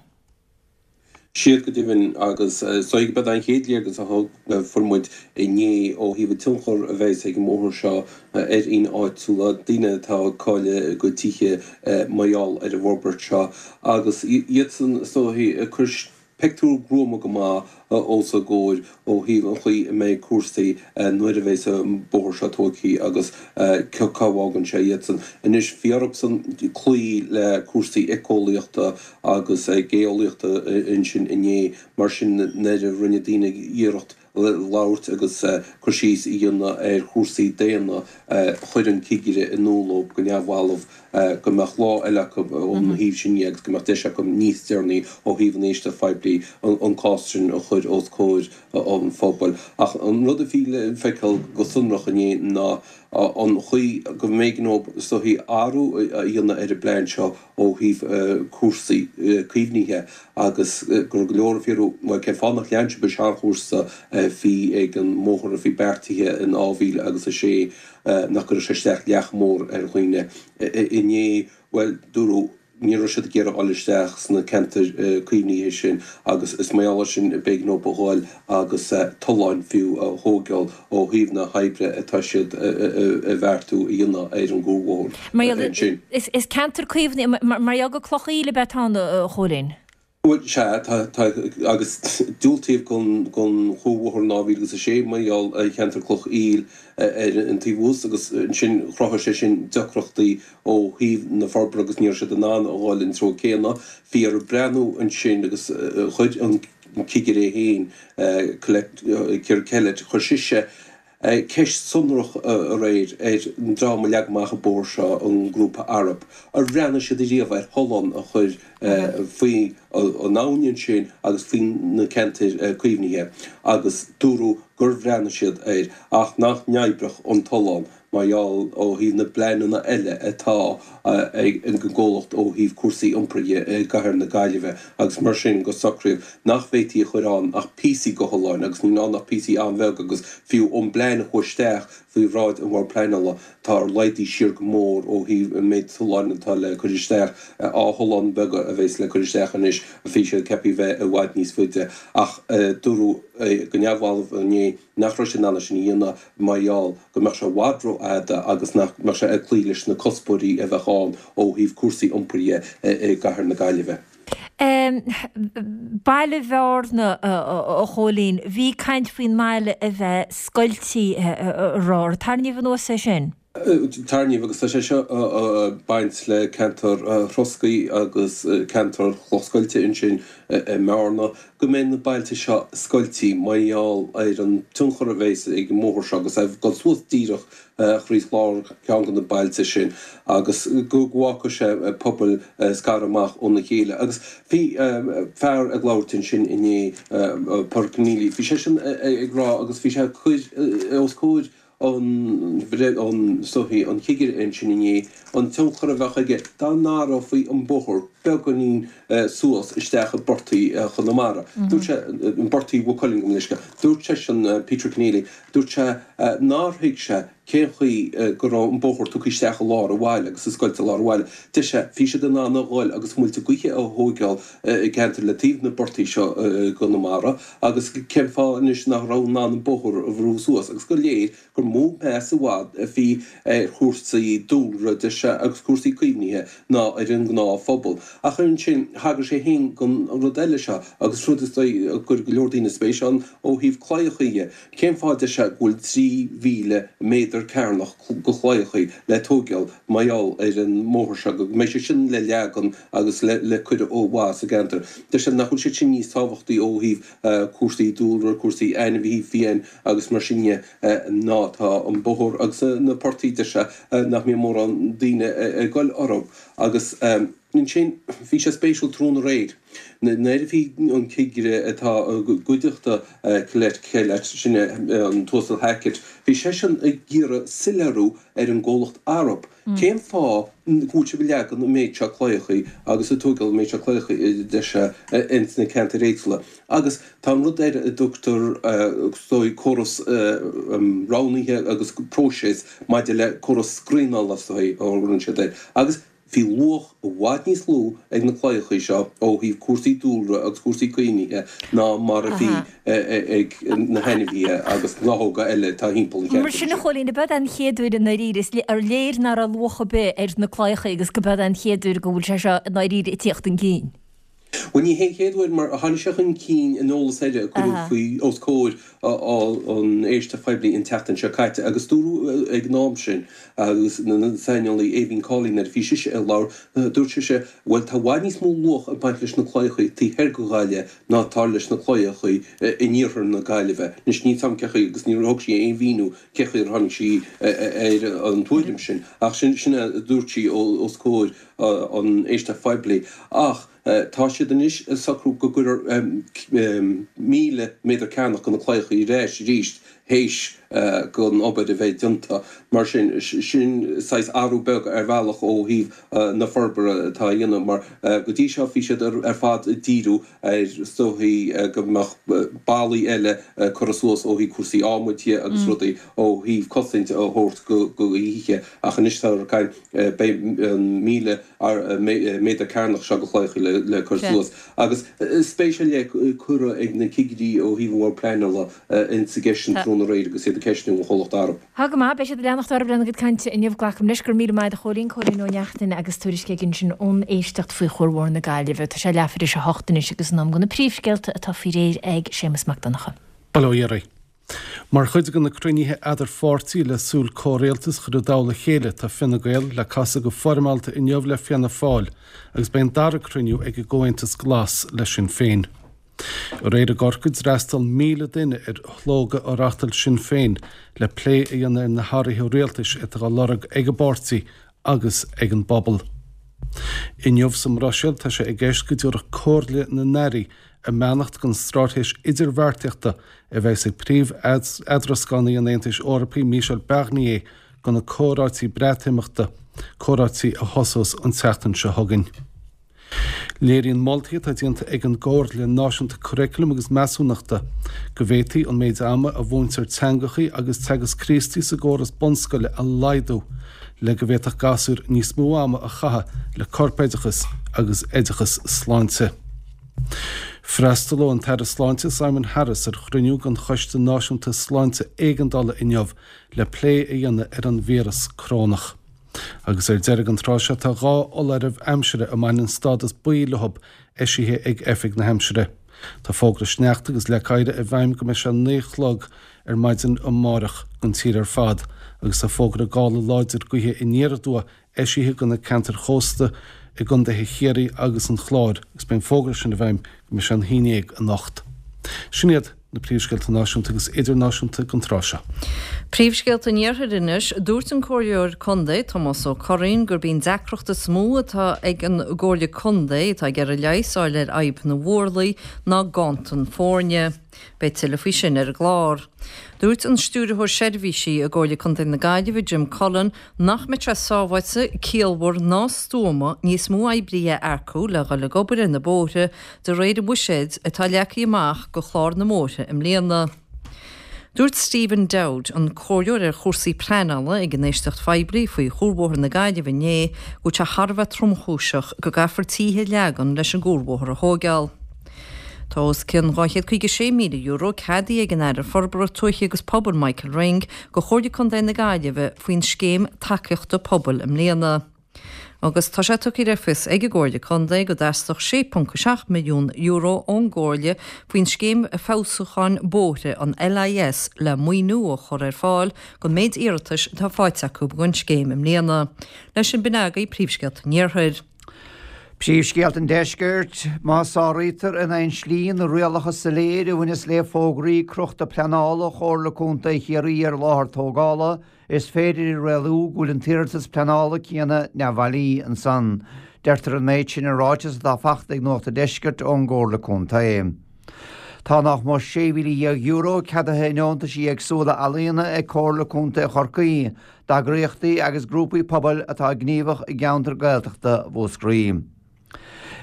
Siad go deimhin agus is dóigh gurb é an chéad léargas a thug fuair muid inné ó thaobh an tionchar a bheas ag an mbóthar seo ar dhaoine áitiúla, daoine atá ag cailleadh a gcuid tithe mar gheall ar an bhforbairt seo agus iadsan is dóigh ag cur pictiúr gruama go maith os a gcomhair ó thaobh an chaoi a mbeidh cúrsaí nuair a bheas an bóthar seo tógtha agus cá bhfágann sé iadsan. Anois, bhí orthusan cloí le cúrsaí éiceolaíochta agus geolaíochta ansin inné, mar sin nuair a rinne daoine iarracht labhairt agus cur síos a dhéanamh ar chúrsaí daonna, chuir an cigire in iúl dóibh go neamhbhalbh go mbeadh lá eile acu ón thaobh sin dhe agus go mbeadh deis acu níos deireanaí ó thaobh an éisteacht phoiblí an cás sin a chur os comhair an phobail. Ach an rud a bhí le feiceáil go sonrach inné ná an chaoi go mb'éigean dóibh is dóichí athrú a dhéanamh ar an bplean seo ó thaobh cúrsaí caomhnaithe agus go raibh go leor ag fiafraí, bhuel, cén fáth nach lean sibh an seanchúrsa a bhí ag an mbóthar a bhí beartaithe in dhá mhíle agus a sé, nach gcuirfeadh sé isteach leath mór ar dhaoine inné, bhuel, dúradh. Ní raibh siad ag iarraidh dul isteach sna ceantair caomhnaithe sin agus is mar gheall air sin b'éigean dóibh a ghoil agus tolláin fiú a thóigeáil ó thaobh na hoibre atá siad a bheartú a dhéanamh ar an gcuarbhóthar ansin. Is ceantar caomhnaithe, mar gheall gur Cloch Aoil ab ea atá ann, a Chóilín? Bhuel, sea, tá, tá, agus diúltaíodh don, don chuarbhóthar in dhá mhíle agus a sé mar gheall ar cheantar Cloch Aoil ar an taobh thuas agus ansin chruthaigh sé sin deacrachtaí ó thaobh na forbartha agus ní raibh siad in ann a dhul an treo céanna. Bhí orthu breathnú ansin agus chuir an cigire é féin, Colette, Ciara Kellett, chuir sise Ceist sonrach aréir ar an dream a leag amach an bóthar seo, an grúpa Arup, ar bhreathnaigh siad ariamh ar thollán a chur faoi an abhainn ansin agus faoi na ceantair caomhnaithe agus dúradh gur bhreathnaigh siad air ach nach n-oibreodh an tollán mar gheall ó thaobh na bpleananna eile atá ag an gcomhlacht ó thaobh cúrsaí iompair dhe i gcathair na Gaillimhe agus mar sin go socraíodh nach bhféadfaí a chur ann ach píosaí de tholláin agus níl ann ach píosaí an-bheag agus fiú ón bplean a chuaigh isteach faoi bhráid an Bhord Pleanála tá laghdaithe siar go mór ó thaobh an méid tolláin atá le cur isteach, dhá thollán beaga a bheas le cur isteach anois, bhí siad ceaptha a bheith i bhfad níos faide ach dúradh go neamhbhalbh inné nach raibh siad in ann é sin a dhéanamh mar gheall go mbeadh sé i bhfad rófhada agus nach mbeadh sé ag cloí leis na cuspóirí a bheadh ann ó thaobh cúrsaí iompair dhe i gcathair na Gaillimhe. Baile Bhearna, a Chóilín, bhí caint faoin mbaile a bheith scoiltí aréir. Ar tarraingíodh anuas é sin? Tarraingíodh agus tá sé seo ag baint le ceantar Throscaí agus ceantar Chloch Scoilte ansin i mBearna, go mbeidh na bailte seo scoiltí mar gheall ar an tionchar a bheas ag an mbóthar seo agus é ag dul suas díreach thríd lár ceann de na bailte sin agus go bhfágfaidh sé pobail scartha amach óna chéile. Agus bhí fear ag labhairt ansin inné, Pádraig Conneely, bhí seisean ag rá agus bhí sé ag cur os comhair an soithí, an chigire ansin inné, an tionchar a bheadh aige dá n-athrófaí an bóthar beagáinín suas isteach i bportaí Chonamara. Dúirt sé, i bportaí Mhaigh Cuilinn, gabh mo leithscéal. Dúirt seisean, Peter Conneely, dúirt sé nár thuig sé cén chaoi go raibh an bóthar tugtha isteach i lár an bhaile agus ag scoilteadh lár an bhaile. Deir sé, bhí siad in ann a dhul agus muilte gaoithe a thóigeáil i gceantar le taobh na bportaí seo i gConamara agus cén fáth anois nach raibh in ann an bóthar a bhrú suas agus gur léir gur mó meas i bhfad a bhí ar chúrsaí dúlra, deir sé, agus cúrsaí caomhnaithe ná ar an ngnáthphobal. Ach ansin, thagair sé féin don rud eile seo, agus rud is dóigh a gcuir go leor daoine spéis ann, ó thaobh claíochaí dhe. Cén fáth, deir sé, go bhfuil trí mhíle méadar cearnach de chlaíochaí le tóigeáil mar gheall ar an mbóthar seo, go mbeidh sé sin le leagan agus le cur ó mhaith sa gceantar. Deir sé nach bhfuil siad sin níos tábhachtaí ó thaobh cúrsaí dúlra, cúrsaí ainmhithe fiáin agus mar sin dhe. ná tá an bóthar agus na portaí, deir sé, nach mbíonn mórán daoine ag goil orthu. Agus ansin, bhí sé spéisiúil tráthnóna aréir, nuair a bhí an cigire atá i gcuideachta Colette Kellett, sin é an tUasal Hackett, bhí seisean ag iarraidh soiléiriú ar an gcomhlacht Arup, cén fáth go bhfuil sibh ag leagan an méid seo claíochaí agus ag tóigeáil an méid seo claíochaí, deir sé, ins na ceantair éagsúla. Agus tá an rud ar a dtugtar, is dóigh, córas roghnaithe agus próiseas maidir le córas scríneála, is dóigh, a thugann siad air. Agus Bhí luach i bhfad níos lú ag na claíochaí seo ó thaobh cúrsaí dúlra agus cúrsaí caomhnaithe ná mar a bhí ag na hainmhithe agus gnáthóga eile atá thimpeall an Mar cheantair sin a sin. Chóilín, ab ea an chéad uair i ndáiríre, is ar léir nach raibh luach ar bith ar na claíochaí agus go b'ea an chéad uair go bhfuil sé seo i ndáiríre ag tíocht chun cinn. Bhuel ní hé an chéad uair mar tháinig sé chun cinn in eolas eile a cuireadh faoi os comhair an éisteacht phoiblí an tseachtain seo caite agus dúradh ag an am sin agus an saineolaí Aiveen Cawley nuair a bhí sise ag labhairt dúirt sise bhuel tá i bhfad níos mó luach ag baint leis na claíochaí taobh thoir de Ghaillimh ná atá leis na claíochaí in iarthar na Gaillimhe. Anois níl 's agam cé chaoi agus níor thug sí aon mhíniú cé chaoi ar tháinig sí ar an tuairim sin ach sin sin a dúirt sí os comhair an éisteacht phoiblí. Ach tá siad anois ag socrú go gcuirfear míle méadar cearnach de na claíochaí ar ais arís théis don obair a bheith déanta. Mar sin, sin saghas athrú beag ar bhealach ó thaobh na forbartha atá á dhéanamh mar go dtí seo bhí siad ar fad ag díriú ar is dóichí go mbeadh ballaí eile curtha suas ó thaobh cúrsaí adhmaid dhe agus rudaí ó thaobh cosaint a thabhairt do thithe ach anois tá ag caint beidh an míle méadar cearnach seo de chlaíochaí le cur suas. Agus spéis ar leith curtha ag na cigirí ó thaobh an Bhord Pleanála insa gceist sin tráthnóna aréir agus iad ag ceistniú an chomhlacht Arup. Tá go maith, beidh siad ag leanacht orthu lena gcuid cainte inniu. Glacaim leis. Go raibh míle maith agat a Chóilín, Cóilín Ó Neachtain agus tuairisc aige ansin ón éisteacht faoi Chuarbhóthar na Gaillimhe. Tá sé leathuair tar éis a hocht anois agus in am do na príomhscéalta atá faoi réir ag Séamus Mac Donncha. Bail ó Dhia oraibh. Mar chuid de na cruinnithe eadarpháirtí le súil comhrialtas a chur i dtoll a chéile tá Fine Gael le casadh go foirmeálta inniu le Fianna Fáil agus beidh an dara cruinniú ag an gComhaontas Glas le Sinn Féin. Aréir i gCorcaigh d'fhreastail míle duine ar shlógadh a reáchtáil Sinn Féin le plé a dhéanamh ar na hathruithe rialtais atá á lorg ag an bpáirtí agus ag an bpobal. Inniu sa mBruiséil tá sé i gceist go dtabharfadh Comhairle na nAirí a mbeannacht don straitéis idirbheartaíochta a bheas ag príomh-eadrascánaí an Aontais Eorpaigh Michel Barnier do na comhráití Breatimeachta, comhráití a thosós an tseachtain seo chugainn. Léiríonn moltaí atá déanta ag an gComhairle Náisiúnta Curaclaim agus Measúnachta go bhféadfaí an méid ama a mhúintear teangachaí agus Teagasc Críostaí sa gcóras bunscoile a laghdú le go bhféadfadh gasúir níos mó ama a chaitheamh le corpoideachas agus oideachas sláinte. Freastalóidh an tAire Sláinte Simon Harris ar chruinniú den Choiste Náisiúnta Sláinte Éigeandála inniu le plé a dhéanamh ar an víreas corónach. Agus ar deireadh an tráth seo tá dhá fholáireamh aimsire a mbaineann stádas buí leo eisithe ag Oifig na hAimsire. Tá fógra sneachta agus leac oighir i bhfeidhm go mbeidh sé naoi a chlog ar maidin amárach don tír ar fad agus tá fógra gála láidir gaoithe aniar aduaidh eisithe do na ceantair chósta i gcontaetha Chiarraí agus an Chláir agus beidh an fógra sin i bhfeidhm go mbeidh sé an haon déag anocht. Sin iad na príomhscéalta náisiúnta agus idirnáisiúnta don tráth seo. Príomhscéalta an Iarthair anois, dúirt an Comhairleoir Contae Tomás Ó Curraoin gurb í an deacracht is mó atá ag an gComhairle Contae atá ag iarraidh leigheas a fháil ar fhadhb na bhfuarlaí ná ganntan foirne. Beidh tuilleadh faoi sin ar an gclár. Dúirt an Stiúrthóir Seirbhísí i gComhairle Contae na Gaillimhe, Jim Cullen, nach mbeadh sé sábháilte, ciallmhar ná stuama níos mó oibrithe a earcú le dhul ag obair ar na bóithre de réir an bhuiséid atá leagtha amach do chlár na mbóithre i mbliana. Dúirt Stephen Dowd, an comhairleoir ar chúrsaí pleanála ag an éisteacht phoiblí faoi Chuarbhóthar na Gaillimhe inné, go bhfuil sé thar a bheith tromchúiseach go gcaithfear tithe a leagan leis an gcuarbhóthar a thógáil. Tá os cionn dhá chéad caoga sé míle euro ceadaithe ag an Aire Forbartha Tuaithe agus Pobail Michael Ring do Chomhairle Contae na Gaillimhe faoin scéim tacaíochta pobail i mbliana. Agus tá sé tugtha le fios ag an gComhairle Contae go dteastódh sé ponc a seacht milliún euro ón gComhairle faoin scéim feabhsúcháin bóithre, an L I S, le maoiniú a chur ar fáil don méid iarratais atá faighte acu don scéim i mbliana. Leis sin b'in agaibh príomhscéalta an Iarthair. Príomhscéalta an Deiscirt, má sáraítear in aon slí na rialacha soiléir a bhaineas le fógraí crochta pleanála Chomhairle Contae Chiarraí ar láthair tógála, is féidir a rialú go bhfuil an t-iarratas pleanála céanna neamhbhailí ansan. Deirtear an méid sin i ráiteas atá faighte ag Nuacht an Deiscirt ón gComhairle Contae. Tá nach mór sé mhíle dhéag euro ceadaithe i ndeontaisí éagsúla ealaíona ag Comhairle Contae Chorcaí, d'eagraíochtaí agus grúpaí pobail atá gníomhach i gceantar Gaeltachta Mhúscraí.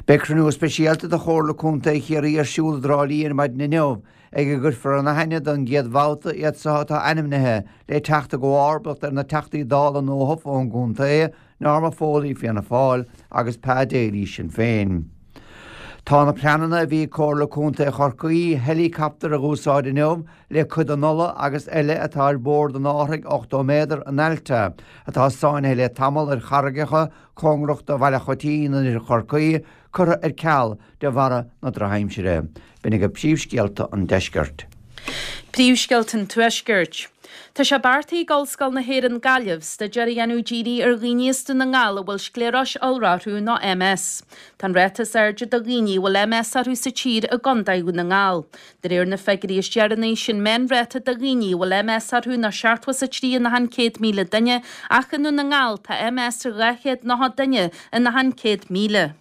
Beidh cruinniú speisialta de Chomhairle Contae Chiarraí ar siúl i dTrá Lí ar maidin inniu, ag a gcuirfear in aithne don gcéad bhabhta iad so atá ainmnithe le teacht i gcomharbacht ar na Teachtaí Dála nuathofa ón gcontae, Norma Foley, Fianna Fáil, agus Pa Daly, Sinn Féin. Tá na pleananna a bhí ag Comhairle Contae Chorcaí heileacaptar a dh'úsáid inniu le cuid den ola agus eile atá ar bord an árthaigh ochtó méadar an Alta atá sáinnithe le tamall ar charraigeacha cóngarach do Bhaile Choitín in oirthear Chorcaí curtha ar ceal de bharra na drochaimsire. B'in agaibh príomhscéalta an deiscirt. Príomhscéalta an Tuaiscirt. Tá sé beartaithe ag Ollscoil na hÉireann Gaillimh staidéar a dhéanamh dírithe ar dhaoine as Dún na nGall a bhfuil scléaróis iolra orthu nó MS. Tá an ráta is airde de dhaoine a bhfuil MS orthu sa tír i gContae Dhún na nGall. De réir na figiúirí is deireanaí, sé'n meánráta de dhaoine a bhfuil MS orthu ná seachtó is a trí in achan céad míle duine ach i nDún na nGall tá MS ar dhá chéad nócha duine in achan céad míle.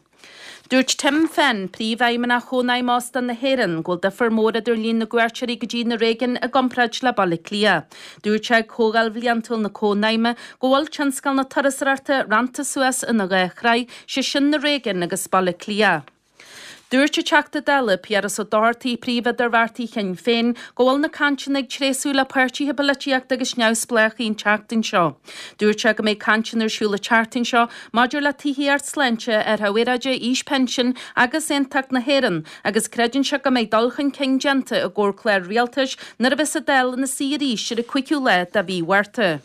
Dúirt Tim Fenn, Príomhfheidhmeannach Chónaidhm Óstán na hÉireann, go bhfuil difear mór idir líon na gcuairteoirí go dtí na réigiúin i gcomparáid le Baile Átha Cliath. Dúirt sé ag Comhdháil Bhliantúil na Cónaidhme go bhfuil tionscal na turasóireachta rannta suas ina dhá shraith, sé sin na réigiúin agus Baile Átha Cliath. Dúirt an Teachta Dála, Piaras Ó Dochartaigh, Príomh-Idirbheartaí Shinn Féin, go bhfuil na cainteanna ag tréasú le páirtithe polaitíochta agus neamhspleácha an tseachtain seo. Dúirt sé go mbeidh cainteanna ar siúl an tseachtain seo maidir le tithíocht, sláinte, athrú aeráide, aois pinsin agus aontacht na hÉireann agus creideann sé go mbeidh dul chun cinn déanta i gcomhair clár rialtais nuair a bheas an Dáil ina suí arís ar an cúigiú lá de mhí Mhárta.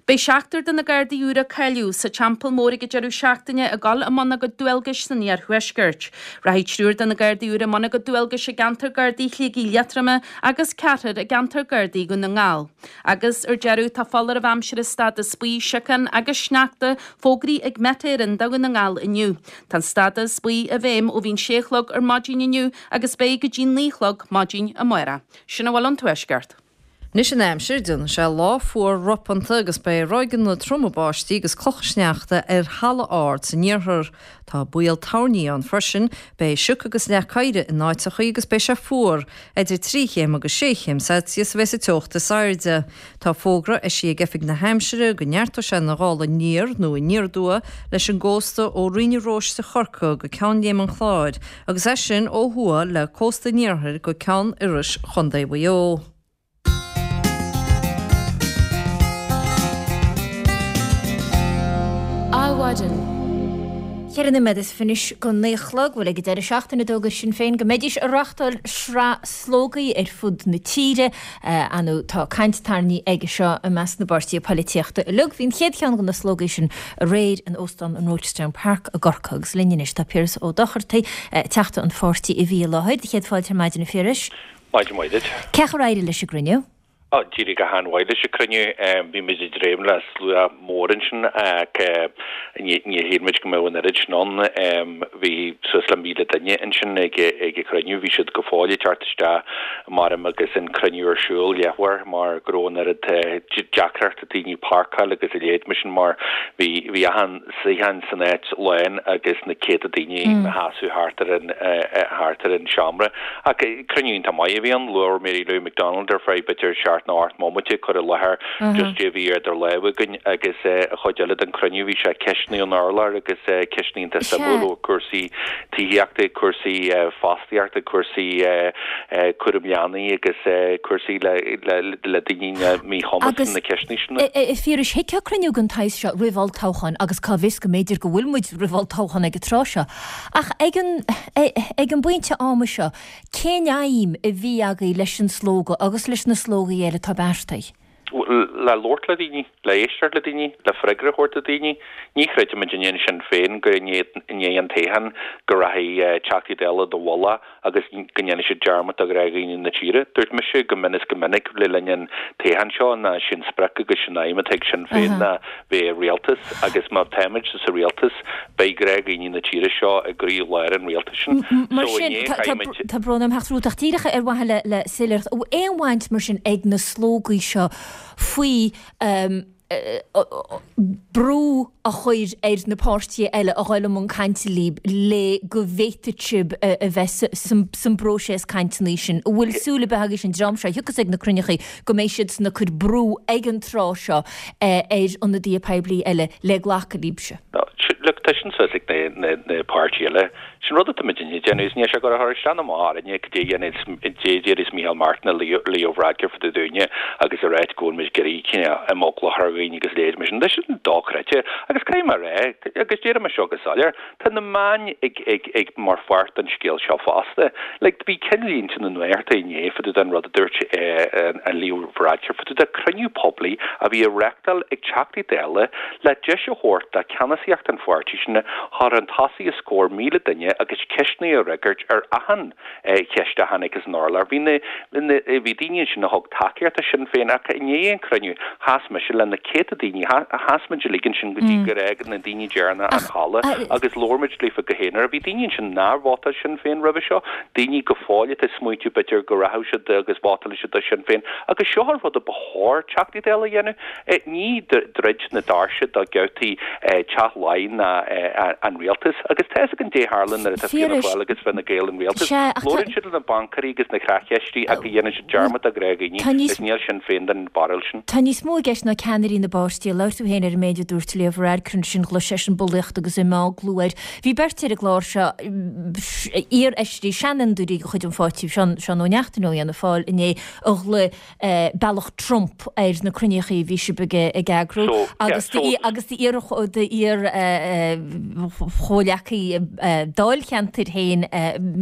Beidh seachtar de na Gardaí úra a cáilíodh sa Teampall Mór ag an deireadh seachtaine ag dul i mbun a gcuid dualgais san iarthuaisceart. Rachaidh triúr de na Gardaí úra i mbun a gcuid dualgais i gceantar Gardaí Shligigh Liatroma agus ceathrar i gceantar Gardaí Dhún na nGall. Agus, ar deireadh, tá foláireamh aimsire stádas buí, siocán agus sneachta fógraithe ag Met Éireann do Dhún na nGall inniu. Tá an stádas buí i bhfeidhm ó bhí an sé a chlog ar maidin inniu agus beidh go dtí naoi a chlog maidin amárach. Sin a bhfuil ón Tuaisceart. Anois an aimsir, déanfaidh sé lá fuar ropanta agus beidh ráigeanna troma báistí agus clocha sneachta ar thalamh ard san iarthar. Tá baol toirní ann freisin. Beidh sioc agus leac oighir in áiteachaí agus beidh sé fuar. Idir trí chéim agus sé chéim Celsius a bheas an teocht is airde. Tá fógra eisithe ag Oifig na hAimsire go neartóidh sé na gála aniar nó aniar aduaidh leis an gcósta ó Rinn na Róiste Chorcaí go Ceann Léim an Chláir agus as sin ó thuaidh le cósta an iarthair go Ceann Iorrais Chontae Mhaigh Eo. Adhmhaidin. Ceithre nóiméad is fiche anois go naoi a chlog, bhuel ag an deireadh seachtaine d'fhógair Sinn Féin go mbeidís ag reáchtáil sraith slógaí ar fud na tíre. Ar ndóigh tá caint tarraingthe aige seo i measc na bpáirtithe poilitíochta uilig. Bhí an chéad cheann de na slógaí sin aréir in Óstán an Rochestown Park i gCorcaigh agus linn anois tá Piaras Ó Dochartaigh, Teachta an pháirtí a bhí i láthair. Céad fáilte ar maidin a Phiarais. Maidin mhaith duit. Cén chaoi ar éirigh leis an gcruinniú? Á, d'éirigh go han-mhaith leis an cruinniú. Bhí muid ag dréim le slua mór ansin ach níor shíl muid go mbeadh an oiread sin ann. Bhí suas le míle duine ansin ag an chruinniú. Bhí siad go fóill ag teacht isteach maram agus an cruinniú ar siúl leathuair mar go raibh an oiread deacracht ag daoine páirceáil agus a leithéid mar sin mar bhí bhí achan suíochán san áit lán agus na céadta daoine ina seasamh thart ar an thart ar an seomra. Ach cruinniú iontach maith a bhí ann. Labhair Mary Lou McDonald ar feadh b'fhéidir seacht nó ocht mbomaite ag cur i láthair just cad é a bhí idir lámha againn agus an chuid eile den chruinniú bhí sé ceisteanna ón urlár agus ceisteanna iontach suimiúil ó cúrsaí tithíochta, cúrsaí fostaíochta, cúrsaí cúram leanaí agus cúrsaí le le daoine míchumas na ceisteanna sin. A Phiarais, thiocfadh cruinniú den tsaghas seo roimh olltoghchán agus cá bhfios go mb'fhéidir go bhfuil muid roimh olltoghchán ag an tráth seo. Ach ag an ag an bpointe ama seo, cén aidhm a bhí agaibh leis an slógadh agus leis na slógaí eile atá beartaithe? Le labhairt le daoine, le éisteacht le daoine, le freagra a thabhairt do daoine. Ní chreidimid in Sinn Féin go i ndiaidh an toghcháin go rachaidh Teachtaí Dála i bhfolach agus go ndéanfaidh siad dearmad de ghnáthdhaoine na tíre. Dúirt mise go mion is go minic le linn an toghcháin seo ná sin sprioc agus sin aidhm atá ag Sinn Féin ná bheith i rialtas agus má táimid sa rialtas beidh gnáthdhaoine na tíre seo i gcroí-lár an rialtais sin. Mar sin, tá brón orm theacht romhat ach díreach ar mhaithe le soiléireacht, an bhfuil aon bhaint mar sin ag na slógaí seo faoi brú a chur ar na páirtithe eile a dhul i mbun cainte libh le go bhféadfadh sibh a bheith san bpróiseas cainteanna sin. An bhfuil súil ar bith agaibh an dream seo a thiocfas ag na cruinnithe go mbeidh siadsan ag cur brú ag an tráth seo ar ionadaithe poiblí eile le glacadh libhse? Look, tá sin suas ag na páirtithe eile. Sin rud atá muidinne ag déanamh is níl sé ag cur isteach ná amach orainne cad é a dhéanfas cad é a déarfas Micheál Martin nó Leo Varadkar fá dtaobh dúinne agus a ráit go bhfuil muid ag iarraidh cineál imeagla a chur ar dhaoine agus a leithéid mar sin. Tá sin dochreidte agus caithfidh mé a rá, agus déarfaidh mé seo go soiléir, tá na meáin ag ag ag mar pháirt den scéal seo fosta. Like bhí ceannlínte na nuachta inné fá dtaobh den rud a dúirt an Leo Varadkar fá dtaobh de cruinniú poiblí a bhí á reachtáil ag Teachtaí Dála le deis a thabhairt do cheannasaíocht an pháirtí sin a chur chun tosaigh os comhair míle duine agus ceisteanna a fhreagairt ar achan cheist a tháinig as an urlár. Bhí na, bhí daoine ansin a thug tacaíocht do Shinn Féin ach i ndiaidh an chruinniú chas mise le na céadta daoine, chas muid uilig ansin go dtí gur fhág na daoine deireanacha an halla agus labhair muid leofa go haonar. Bhí daoine ansin nár vótáil Sinn Féin roimhe seo, daoine go fóill atá ag smaointiú b'fhéidir go rachadh siad agus vótálfaidh siad do Shinn Féin agus seo an rud a ba chóir Teachtaí Dála a dhéanamh. Ní druid na doirse do ghabhtaí Teach Laighean ná an rialtas agus tá fhios againn caidé a tharlaíonn nuair atá Fianna Fáil agus Fine Gael in rialtas. Labhraíonn siad le na baincéirí agus na creachcheistí ach dhéanann siad dearmad de ghnáthdhaoine agus níl Sinn Féin den bharúil sin. Tá níos mó i gceist ná ceannairí na bpáirtithe. Labhair tú féin ar an méid a dúirt Leo Varadkar ansin, ghlaoigh seisean bulaíocht agus imeaglú air. Bhí beirt ar an gclár seo, iarfheisirí, seanfhondúirí de chuid an pháirtí, Seán Ó Neachtain ó Fhianna Fáil inné, a ghlaoigh Bealach Trump ar na cruinnithe a bhí sibh ag eagrú agus agus d'iar-chomhghleacaí dáilcheantair féin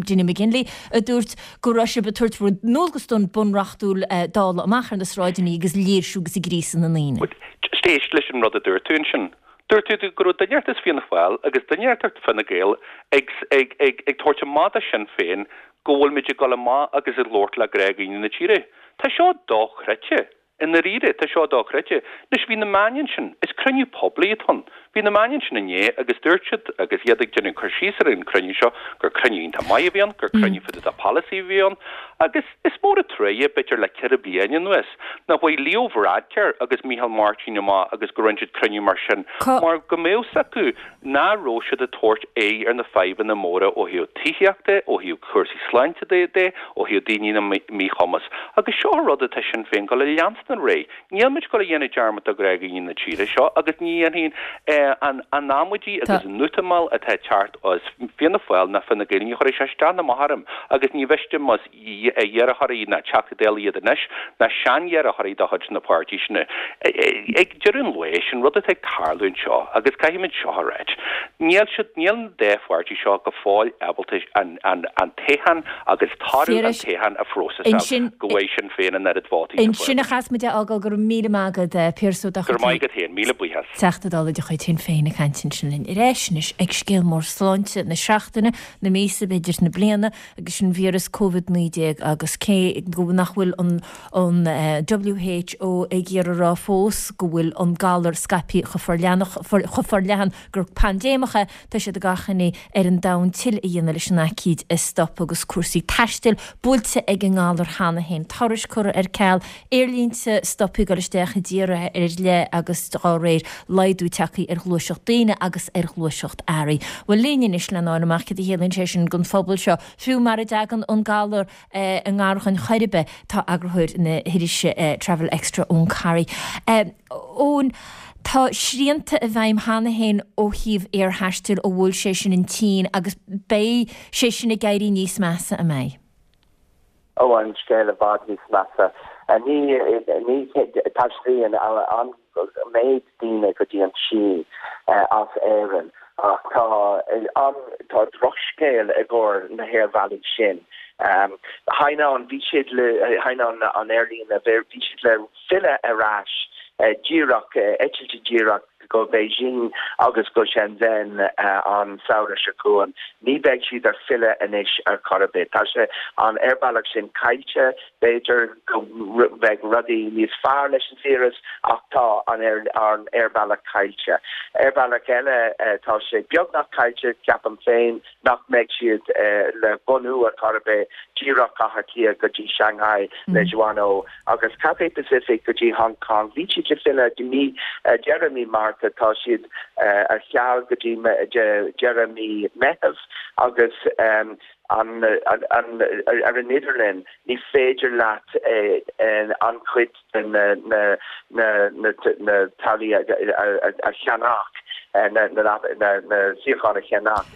Dinny McGinley a dúirt go raibh sibh ag tabhairt bhur ndualgas don bunreachtúil Dála amach ar na sráideanna agus léirsiú agus ag gríosadh na ndaoine. Just éist leis an rud a dúirt tú ansin. Dúirt tú go raibh duine inteacht as Fianna Fáil agus duine inteacht Fine Gael ag ag ag ag tabhairt amach do Shinn Féin go bhfuil muid ag dul amach agus ag labhairt le gnáthdhaoine na tíre. Tá seo dochreidte. I ndáiríre, tá seo dochreidte. Anois, bhí na meáin ansin, is cruinniú poiblí atá ann. Bhí na meáin ansin inné agus dúirt siad, agus iad ag déanamh cur síos ar an cruinniú seo, gur cruinniú iontach maith a bhí ann, gur cruinniú fá dtaobh de polasaí a bhí ann. Agus is mór an truaighe, b'fhéidir le ceithre bliana anuas, nach bhfuaigh Leo Varadkar agus Micheál Martin amach agus go rinne siad cruinniú mar sin, mar go mbeadh 's acu nach raibh siad ag tabhairt aghaidh ar na fadhbanna móra ó thaobh tithíochta, ó thaobh cúrsaí sláinte de, ó thaobh daoine le míchumas. Agus seo an rud atá Sinn Féin ag dul a leanstan ar aghaidh. Níl muid ag dul a dhéanamh dearmad de ghnáthdhaoine na tíre seo agus ní dhéanfaidh an an amaidí agus an útamáil atá ag teacht as Fianna Fáil ná Fine Gael, ní chuirfidh sé isteach ná amach orm agus ní mhiste más iarrthóirí ná Teachtaí Dála iad anois ná sean-iarrthóirí de chuid na páirtí sin. Ag deireadh an lae, sin rud atá ag tarlú anseo agus caithfimid seo a ráit, níl siad, níl an dá pháirtí seo go fóill ábalta an, an, an toghchán agus toradh an toghcháin a phróiseáil go bhfaighidh Sinn Féin an oiread vótaí is a fuair Ansin a chas muid a fhágáil, go raibh míle maith agat, Piaras Ó Go raibh maith agat féin, míle buíochas. Teachta Dála de chuid Shinn Féin ag caint ansin linn. Ar ais anois ag scéal mór sláinte na seachtaine, na míosa, b'fhéidir na bliana, agus sin víreas Covid naoi déag agus cé go nach bhfuil an an WHO ag iarraidh a rá fós go bhfuil an galar scaipthe chomh chomh forleathan gur paindéimeach é, tá siad ag achainí ar an domhan tuilleadh a dhéanamh leis an aicíd a stop agus cúrsaí taistil buailte ag an ngalar cheana féin, turais curtha ar ceal, aerlínte stoptha ag dul isteach i dtíortha ar leith agus dá réir laghdú tagtha ar ghluaiseacht daoine agus ar ghluaiseacht earraí. Bhuel linn anois lena fháil amach céard a chiallaíonn sé sin don phobal seo, fiú mara dtagann an galar i ngar dhúinn chor ar bith, tá eagarthóir na hirise Travel Extra, Eoin Corry. Eoin, tá srianta i bhfeidhm cheana féin ó thaobh aerthaistil ó bhuail sé sin an tSín agus beidh sé sin ag éirí níos measa, an mbeidh? Ó, an scéal i bhfad níos measa. Ní, ní taistealaíonn an méid daoine go dtí an tSín as Éirinn ach tá an, tá drochscéal i gcomhair na haerbhealaí sin. Hainan, bhí siad le, Hainan an aerlíne, bhí siad le filleadh ar ais díreach, eitiltí díreach go Beijing agus go Shenzhen an samhradh seo chugainn. Ní bheidh siad ar filleadh anois ar chor ar bith. Tá sé, an aerbhealach sin caillte. B'fhéidir go mbeidh rudaí níos fearr leis an víreas ach tá an aerbhealach caillte. Aerbhealach eile, tá sé beagnach caillte, ceapaim féin, nach mbeidh siad le bunú ar chor ar bith, díreach Átha Cliath go dtí Shanghai le Jeoanne agus Cathay Pacific go dtí Hong Kong. Bhí siad le filleadh mí deireadh mí Márta tá siad ar ceal go dtí deireadh mí Meitheamh agus um, an, an, an, ar an idirlíon ní féidir leat an chuid de na, na, na, na, na táillí a, a, a, a cheannach na, na, na, na suíocháin a cheannach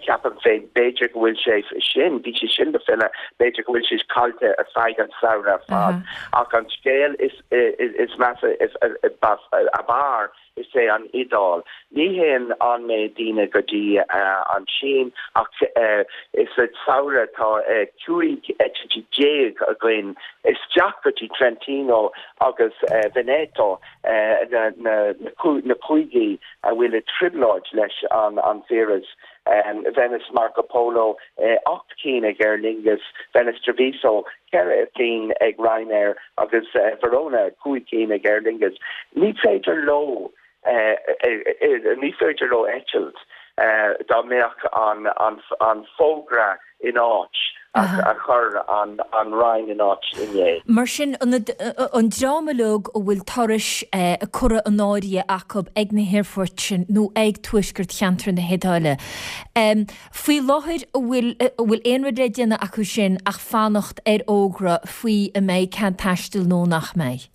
ceapaim féin b'fhéidir go bhfuil sé sin bhí sé sin le filleadh b'fhéidir go bhfuil sé caillte ar feadh an samhradh ar fad ach an scéal is is, is measa is a bharr is é an Iodáil. Ní théann an méid daoine go dtí uh, an Sín ach uh, is sa samhradh tá uh, cúig eitiltí déag againn isteach go dtí Trentino agus uh, Veneto uh, na, na, na, na cúigí a bhfuil i trioblóid leis an, an víreas. Um, Venice Marco Polo uh, ocht cinn ag Aer Lingus, Venice Treviso ceithre cinn ag Ryanair agus uh, Verona cúig cinn ag Aer Lingus. Ní féidir leo uh, uh, ní féidir leo eitilt uh, dá mbeadh an, an, an fógra in áit a chur an, an Roinn in áit inné. Mar sin an, an dream uilig a bhfuil turais a curtha in áirithe acu ag na haerfoirt sin nó ag tuaisceart cheantar na hIodáile. Um, faoi láthair an bhfuil bhfuil aon rud le déanamh acu sin ach fanacht ar fhógra faoi an mbeidh cead taistil nó nach mbeidh.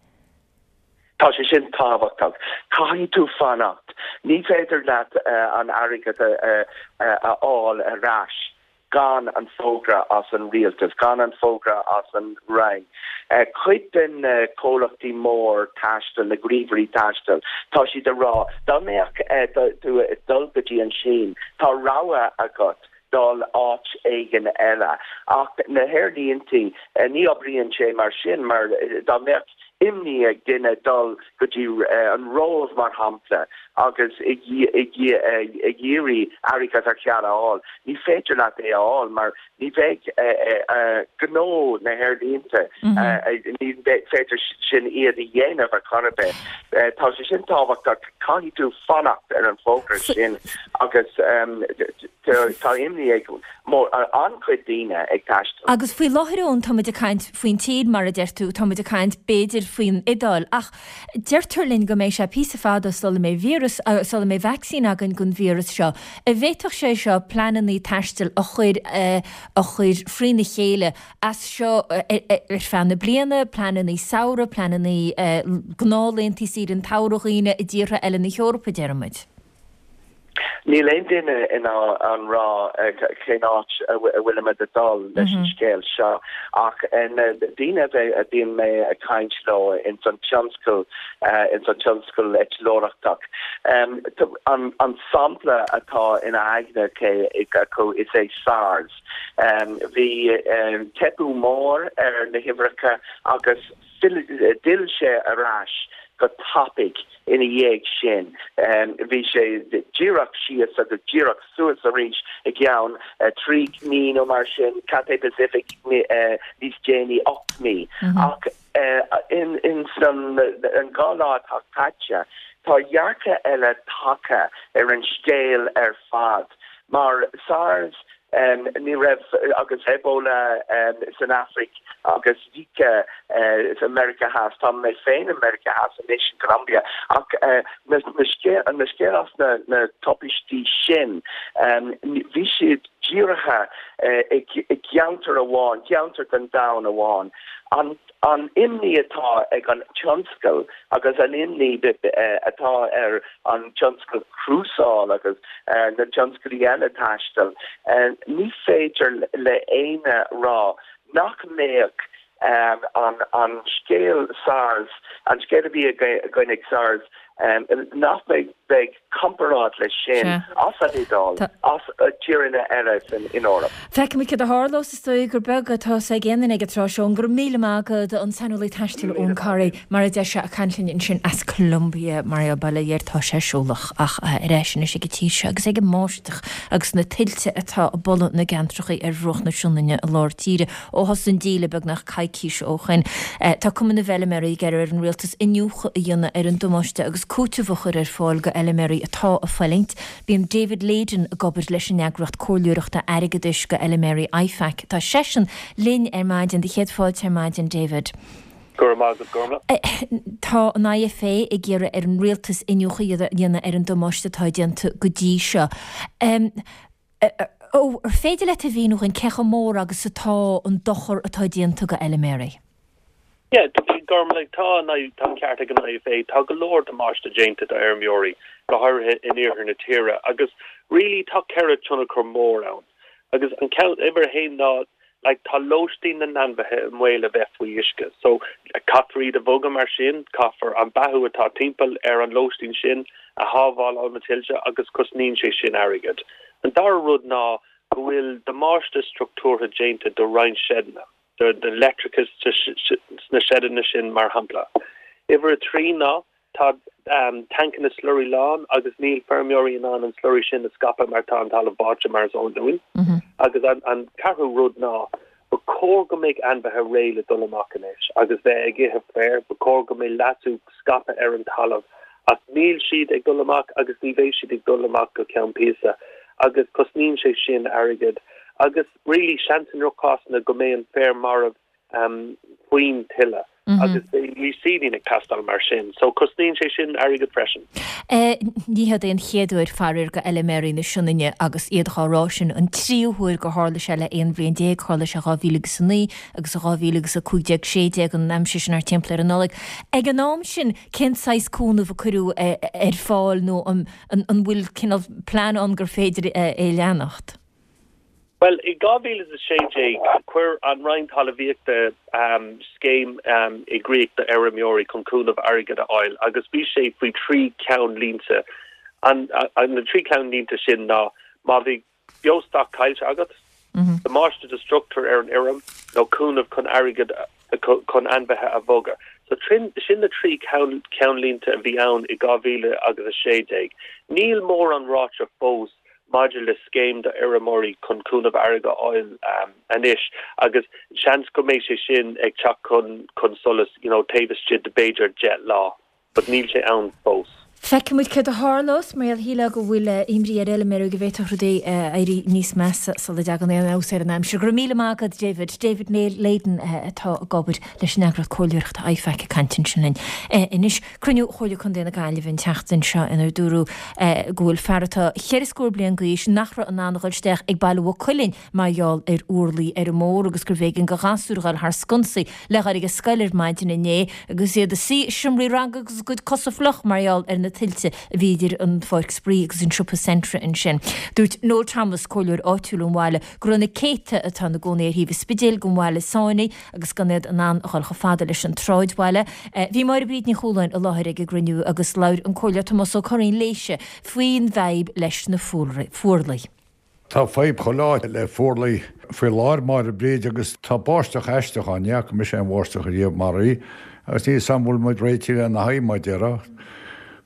Tá sé sin tábhachtach. Caithfidh tú fanacht. Ní féidir leat uh, an airgead a, a, a fháil ar ais gan an fógra as an rialtas, gan an fógra as an Roinn. Uh, cuid den uh, comhlachtaí mór taistil na gníomhairí taistil, tá siad ag rá dá mbeadh uh, tú dul go dtí an Sín, tá rogha agat dul áit éigin eile. Ach na haerlínte uh, ní oibríonn sé mar sin mar dá mbeadh imní ag duine dul go dtí uh, an Róimh mar shampla agus ag iarraidh airgead ar ceal a fháil. Ní féidir leat é a fháil mar ní bheidh gnó na haerlínte ní féidir sin iad a dhéanamh ar chor ar bith. Tá sé sin tábhachtach caithfidh tú fanacht ar an bhfógra sin agus tá imní ag an-chuid daoine ag taisteal. Agus faoi láthair ann táimid ag caint faoin tír mar a deir tú táimid ag caint b'fhéidir faoin Iodáil ach deirtear linn go mbeidh sé píosa fada sula mbeidh víreas sula mbeidh vacsaín againn don víreas seo. An bhféadfadh sé seo pleananna taistil a chur a chur frína chéile as seo ar feadh na bliana, pleananna samhraidh, pleananna gnáthlaethanta saoire an tsamhraidh dhaoine i dtíortha eile na hEorpa deirimid. Níl aon duine in ann rá cén áit a bhfuilimid ag dul leis an scéal seo ach na daoine a bhíonn mé ag caint leo in san tionscal in san tionscal eitleoireachtach. An, an sampla atá ina aigne acu is é SARS. Bhí teipeadh mór ar na huimhreacha agus d'fhill sé ar ais go tapaidh ina dhiaidh sin. Bhí sé díreach síos agus díreach suas arís i gceann trí mí nó mar sin Cathay Pacific níos déanaí ocht mí. Ach in in san an dhá lá atá caite, tá dearcadh eile tagtha ar an scéal ar fad. Mar SARS um, ní raibh agus Ebola um, san Afraic agus Zika uh, sa America Theas tá mé féin America Theas anois in Colombia ach uh, na, na scéal na scéal as na, na tubaistí sin um, bhí siad dírithe uh, i, i gceantar amháin, ceantar den domhan amháin. An an imní atá ag an tionscal agus an imní atá ar an tionscal crúsáil agus uh, na tionscail eile taistil. Uh, ní féidir le éinne rá nach mbeadh um, an, an scéal SARS, an scéal a bhí againn ag SARS, um, nach mbeidh beidh comparáid leis sin as an Iodáil as tíortha eile san in Eoraip. Feicfimid cad a tharlós is dóigh gur beag atá ag aon duine ag an tráth seo go raibh míle maith agat an saineolaí taistil Eoin Corry mar a deir sé ag caint linn ansin as Colombia mar a baile dhéir tá sé siúlach ach ar ais anois ag an tír seo agus ag an mbáisteach agus na tuilte atá ag bualadh na gceantracha ar bhruach na Sionainne i lár tíre ó thosaigh an díle beagnach coicís ó shin. Tá Cumann na bhFeilméaraí ag iarraidh ar an rialtas iniúchadh a dhéanamh ar an damáiste agus cúiteamh a chur ar fáil go fheilméaraí atá ag fulaingt. Bíonn David Leyden ag obair leis an eagraíocht comhairleoireachta airgeadais go fheilméaraí IFAC. Tá seisean linn ar maidin de chéad fáilte ar maidin David. Go raibh maith agat Gormlaith. Tá an IFA ag iarraidh ar an rialtas iniúchadh a dhéanamh ar an damáiste atá déanta go dtí seo. Ó, ar féidir leat a mhíniú dúinn cé chomh mór agus atá an dochar atá déanta go fheilméaraí? Yeah, Gormlaith, tá an tá an ceart ag an IFA, tá go leor damáiste déanta d'fheirmeoirí, go háirithe in iarthar na tíre, agus really tá ceithre tionchar mór ann. Agus an ceann uimhir a haon ná like tá lóistín na n-ainmhithe i mbaol a bheith faoi uisce. So caithfear iad a bhogadh mar sin, caithfear an beathú atá timpeall ar an lóistín sin a shábháil ó na tuilte agus cosnaíonn sé sin airgead. An dara rud ná go bhfuil damáiste struchtúrtha déanta do roinnt seideanna, do do leictreachas sna seideanna sin mar shampla. Uimhir a trí ná tá tancanna slurry lán agus níl feirmeoirí in ann an slurry sin a scaipeadh mar tá an talamh báite mar is eol dúinn. Agus an an ceathrú rud ná ba chóir go mbeidh ainmhithe réidh le dul amach anois agus bheith ag ithe féir, ba chóir go mbeidh leasú scaipthe ar an talamh ach níl siad ag dul amach agus ní bheidh siad ag dul amach go ceann píosa agus cosnaíonn sé sin airgead agus really seans i ndroch-chásanna go mbeidh an féar marbh um, faoin tuile. Mm -hmm. agus beidh reseeding ag teastáil mar sin, so cosnaíonn sé sin airgead freisin. Eh, ní hé an chéad uair faraor go fheilméaraí na Sionainne agus iad dhá rá sin an tríú huair gur tharla sé le aon bhliain déag tharla sé dhá mhíle agus a naoi agus dhá mhíle agus a cúig déag sé déag an aimsir sin thart timpeall ar an Nollaig. Ag an am sin cén saghas cúnamh a cuireadh eh, ar fáil nó an, an, an bhfuil cineál plean ann gur féidir eh, é leanacht? Well i dhá mhíle a sé déag chuir an Roinn Talmhaíochta um, scéim um, i gcrích do fheirmeoirí chun cúnamh airgead a fháil agus bhí sé faoi trí cheannlínte an, an na trí cheannlínte sin ná má bhí beostoc caillte agat, mm -hmm. damáiste do struchtúr ar an fheirm nó cúnamh chun airgead chun ainmhithe a bhogadh. So trin, sin na trí ceannlínte a bhí ann i dhá mhíle agus a sé déag. Níl mórán ráite fós maidir le scéim do fheirmeoirí chun cúnamh airgead a fháil um, anois agus seans go mbeidh sé sin ag teacht chun chun solais you know, taobh istigh de b'fhéidir deich lá, but níl sé ann fós. Feicfimid céard a tharlós mar shílfeá go bhfuil imní ar fheilméaraí go bhféadfadh rudaí éirí níos measa sula dtagann aon fheabhas ar an aimsir. Go raibh míle maith agat David, David Leyden atá ag obair leis an eagraíocht comhairleoireachta IFAC ag caint ansin linn. Anois cruinniú Chomhairle Contae na Gaillimhe an tseachtain seo inar dúradh go bhfuil fear atá ceithre scór bliain d'aois nach raibh in ann a dhul isteach ag baile Mhaigh Cuilinn mar gheall ar fhuarlaigh ar an mbóthar agus gurbh éigean do ghasúir a dhul thar sconsaí le dhul ag an scoil ar maidin inné agus iad ina suí i seomraí ranga agus a gcuid cosa fliuch mar gheall ar na tuilte a bhí idir an pháirc spraoi agus an siopa Centra ansin. Dúirt Noel Thomas comhairleoir áitiúil an bhaile go raibh na céadta atá ina gcónaí ar thaobh an Spidéil den bhaile sáinnithe agus gan iad in ann a dhul chomh fada leis an tsráidbhaile. Bhí Máire Bríd Ní Chualáin i láthair ag an gcruinniú agus labhair an comhairleoir Tomás Ó Curraoin léise faoin bhfadhb leis na fuarlaigh. Tá fadhb chuile áit le fuarlaigh faoi láthair Máire Bríd agus tá báisteach aisteach ann, ní fhaca mise aon bháisteach ariamh mar í agus níl 's a'm an bhfuil muid réitithe lena haghaidh mar a déarfá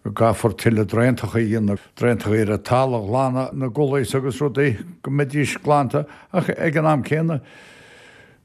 go gcaithfear tuilleadh draentacha a dhéanamh, draentacha ar an talamh a ghlanadh na gullies agus rudaí go mbeidís glanta ach ag an am céanna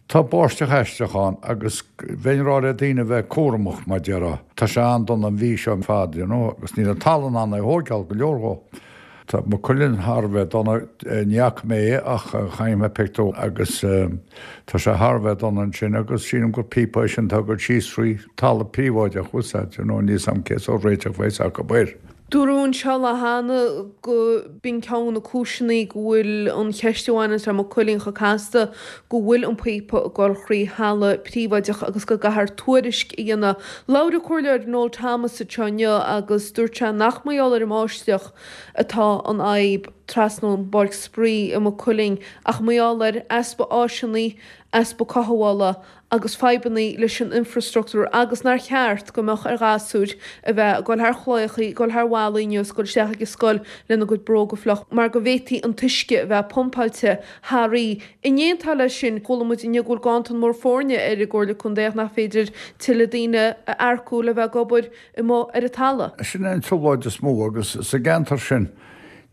tá báisteach aisteach ann agus bheinn ag rá le daoine a bheith cúramach mar a déarfá. Tá sé an-dona an mhí seo ar fad you know agus níl an talamh in ann é a thóigeáil go leor dhó. Tá Maigh Cuilinn thar a bheith dona, ní fhaca mé é ach chonaic mé pictiúr agus tá sé thar a bheith dona ansin agus sílim gur píopa é sin atá ag dul síos trí talamh príobháideach, bhfuil 's a'd, you know, níl 's a'm cé sórt réiteach a bheas acu air. Dúradh anseo lá cheana go b'in ceann de na cúiseanna go bhfuil an cheist a bhaineanns le Maigh Cuilinn chomh casta, go bhfuil an píopa ag dul thrí thalamh príobháideach agus go gcaithfear tuairisc a dhéanamh. Labhair an Comhairleoir Noel Thomas anseo inniu agus dúirt sé nach mar gheall ar an mbáisteach atá an fhadhb trasna ón bpáirc spraoi i Maigh Cuilinn ach mar gheall ar easpa áiseanna, easpa cothabhála agus fadhbanna leis an infreastruchtúr agus nár cheart go mbeadh ar ghasúir a bheith ag dul thar chlaíochaí, ag dul thar bhallaí inniu is ag dul isteach ag an scoil lena gcuid bróga fliuch mar go bhféadfaí an t-uisce a bheith pumpáilte thar í. In éineacht leis sin, chuala muid inniu go bhfuil ganntan mór foirne ar an gComhairle Contae ach nach féidir tuilleadh daoine a earcú le bheith ag obair amuigh ar an talamh. Sin é an trioblóid is mó agus sa gceantar sin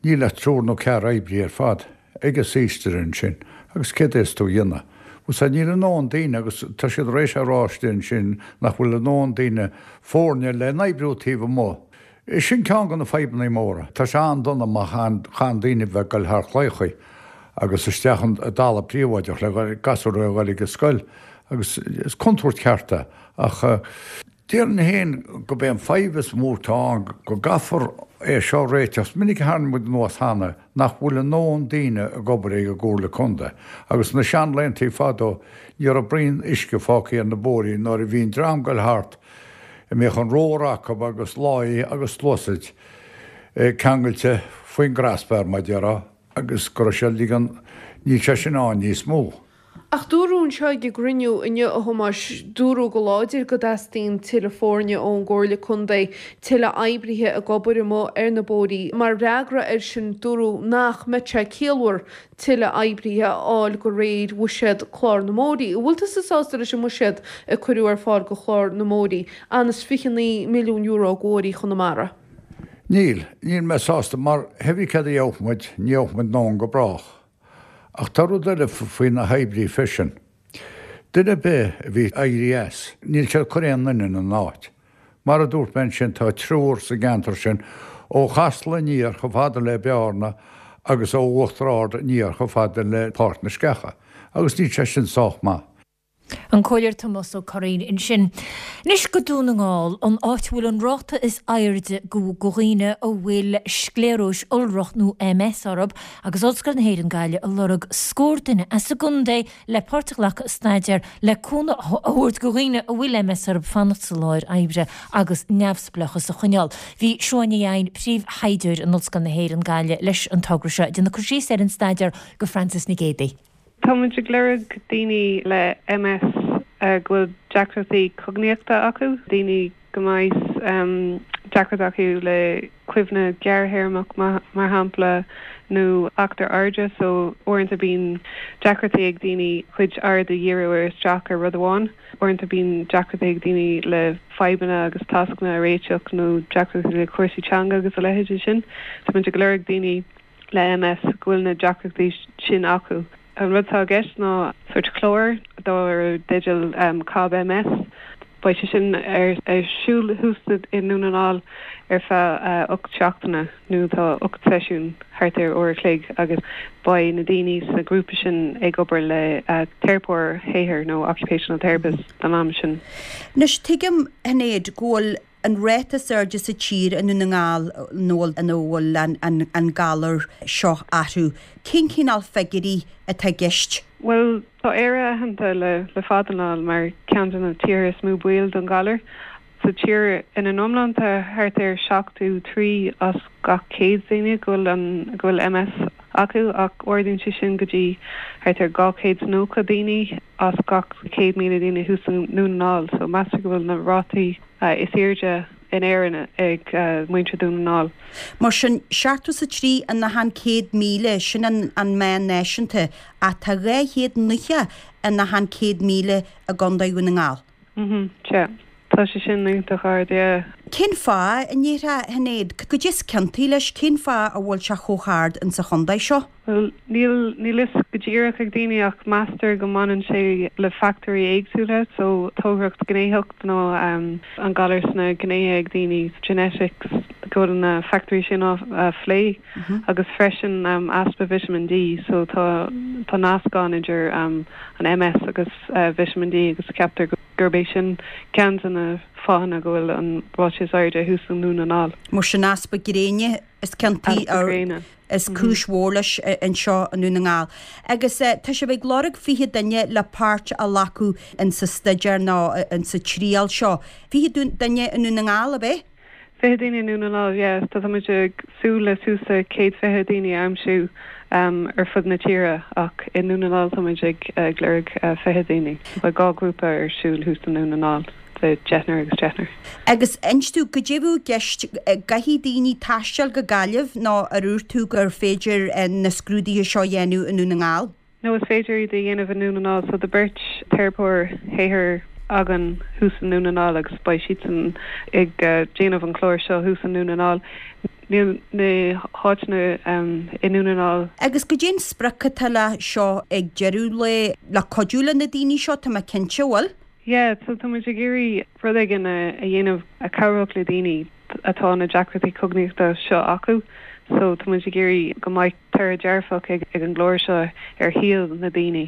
níl ach triúr nó ceathrar oibrí ar fad ag an saoiste ansin agus céard a bheas tú a dhéanamh? Bhuel sea, níl a ndóthain daoine agus tá siad tar éis a rá istigh ansin nach bhfuil a ndóthain daoine foirne le n-oibriú taobh amuigh. Sin ceann de na fadhbanna móra. Tá sé an-dona má chaitheann daoine bheith ag goil thar chlaíochaí agus isteach i dtalamh príobháideach le gasúir a ghoil ag an scoil agus is contúirt cheart é. Ach déarfainn féin gurb é an fadhb is mó atá ann go gcaithfear é seo a réiteach. Is minic a tharraing muid anuas cheana nach bhfuil a ndóthain daoine ag obair ag an gComhairle Contae agus na seanlaethanta fadó ní raibh braon uisce fágtha ar na bóithrí nuair a bhí an dream ag goil thart a mbíodh an romhar acu agus láí agus sluasaid ceangailte faoin gcrosbar, mar a déarfá, agus go raibh sé ag ligean, níl sé sin ann níos mó. Ach dúradh anseo ag an gcruinniú inniu, a Thomáis, dúradh go láidir go dteastaíonn tuilleadh foirne ón gComhairle Contae, tuilleadh oibrithe ag obair amuigh ar na bóithrí. Mar fhreagra air sin, dúradh nach mbeadh sé ciallmhar tuilleadh oibrithe a fháil de réir bhuiséad Chlár na mBóithrí. An bhfuil tusa sásta leis an mbuiséad a cuireadh ar fáil do Chlár na mBóithrí, ionann is fiche naoi milliún euro do bhóithrí Chonamara? Níl, níl mé sásta mar hé brí céard a gheobhadh muid, ní gheobhadh muid a ndóthain go brách. Ach tá rud eile faoi na hoibrithe freisin. Duine ar bith a bhí ag éirí as, níl siad ag cur aon duine ina n-áit. Mar a dúirt mé ansin, tá triúr sa gceantar sin, ó Chasla aniar chomh fada le Bearna agus ó Uachtar Ard aniar chomh fada le Páirc na Sceacha. Agus níl sé sin sách maith. An Comhairleoir Tomás Ó Curraoin ansin. Anois go Dún na nGall, an áit a bhfuil an ráta is airde go dhaoine a bhfuil scléaróis iolrach nó MS orthu, agus Ollscoil na hÉireann Gaillimh ag lorg scór duine as an gcontae le páirt a ghlacadh i staidéar le cúnamh a thabhairt go dhaoine a bhfuil MS orthu fanacht sa láthair oibre agus neamhspleáchas a choinneáil. Bhí Siobhán Ní Eidhin, príomhthaighdeoir in Ollscoil na hÉireann Gaillimh leis an togra seo, ag déanamh cur síos ar an staidéar go Frances Nic Géadaigh. Tá muid ag lorg daoine le MS go bhfuil deacrachtaí cognaíochta acu, daoine go mbeidh deacracht acu le cuimhne gearrthéarmach mar shampla nó eachtar airde so uaireanta bíonn deacrachtaí ag daoine cuid aird a dhíriú ar isteach ar rud amháin. Uaireanta bíonn deacrachtaí ag daoine le fadhbanna agus tascanna a réiteach nó deacrachtaí le cúrsaí teanga agus a leithéidí sin. Tá muid ag lorg daoine le MS go bhfuil na deacrachtaí sin acu. An rud atá i gceist ná sórt clár dar dteideal COB MS. Beidh sé sin ar siúl thuas i nDún na nGall ar feadh ocht seachtaine nó tá ocht seisiún thart ar uair a chloig agus beidh na daoine sa ghrúpa sin ag obair le teiripeoir shaothair nó occupational therapist don am sin. Anois tuigim, a Shinéad, go bhfuil an ráta is airde sa tír i nDún na nGall nó ina bhfuil an galar seo orthu. Cén cineál figiúirí atá i gceist? Bhuel, tá Éire aitheanta le le fada an lá mar ceann de na tíortha is mó baol don ghalar. Sa tír ina n-iomlán tá thart ar seachtó trí as gach céad duine go bhfuil an go bhfuil MS acu ach ardaíonn sé sin go dtí thart ar dhá chéad is nócha daoine as gach céad míle daoine thuas i nDún na nGall. So meastar go bhfuil na rátaí is airde in Éirinn ag muintir Dhún na nGall. Mar sin, seachtó is a trí in achan céad míle, sin an an meán náisiúnta, ach tá dhá chéad nócha in achan céad míle i gContae Dhún na nGall. Mhm, sea. Tá sé sin iontach ard, yeah. Cén fáth, a ndéarfá, a Shinéad, goidé is ciontaí leis, cén fáth a bhfuil sé chomh hard insa chontae seo? Bhuel, níl níl fhios go díreach ag daoine ach meastar go mbaineann sé le factóirí éagsúla, so táirgeacht gnéitheacht nó an galar sna gnéithe ag daoine, genetics, go bhfuil na factóirí sin á phlé agus freisin easpa vitamin D, so tá tá nasc ann idir an MS agus vitamin D agus ceaptar gurb é sin ceann de na fáthanna go bhfuil an ráta is airde thuas i nDún na nGall. Mar sin easpa gréine is ciontaí Easpa gréine. is cúis mhór leis anseo i nDún na nGall. Agus tá sibh ag lorg fiche duine le páirt a ghlacadh insa staidéar nó insa triail seo. Fiche duine i nDún na nGall, ab é? Fiche duine i nDún na nGall, yeah. Tá muid ag súil le suas le céad fiche daoine a aimsiú ar fud na tíre ach i nDún na nGall tá muid ag lorg fiche daoine. Beidh dhá ghrúpa ar siúl thuas i nDún na nGall. de deichniúr agus deichniúr. Agus inis domh, goidé a bheadh i gceist, gcaithfidh daoine taisteal go Gaillimh nó ar dhúirt tú gur féidir na scrúduithe seo a dhéanamh i nDún na nGall? No, is féidir iad a dhéanamh i nDún na nGall. So tá beirt teiripeoir shaothair againn thuas i nDún na nGall agus beidh siadsan ag déanamh an chláir seo thuas i nDún na nGall. Níl na háiteanna i nDún na nGall. Agus goidé an sprioc atá le seo ag deireadh lae, le cuidiú le na daoine seo, tá mé cinnte, bhfuil? Yeah, so tá muid ag iarraidh rud éigin a dhéanamh a chabhródh le daoine atá na deacrachtaí cognaíochta seo acu, so tá muid ag iarraidh go mbeidh toradh dearfach ag an gclár seo ar shaol na daoine.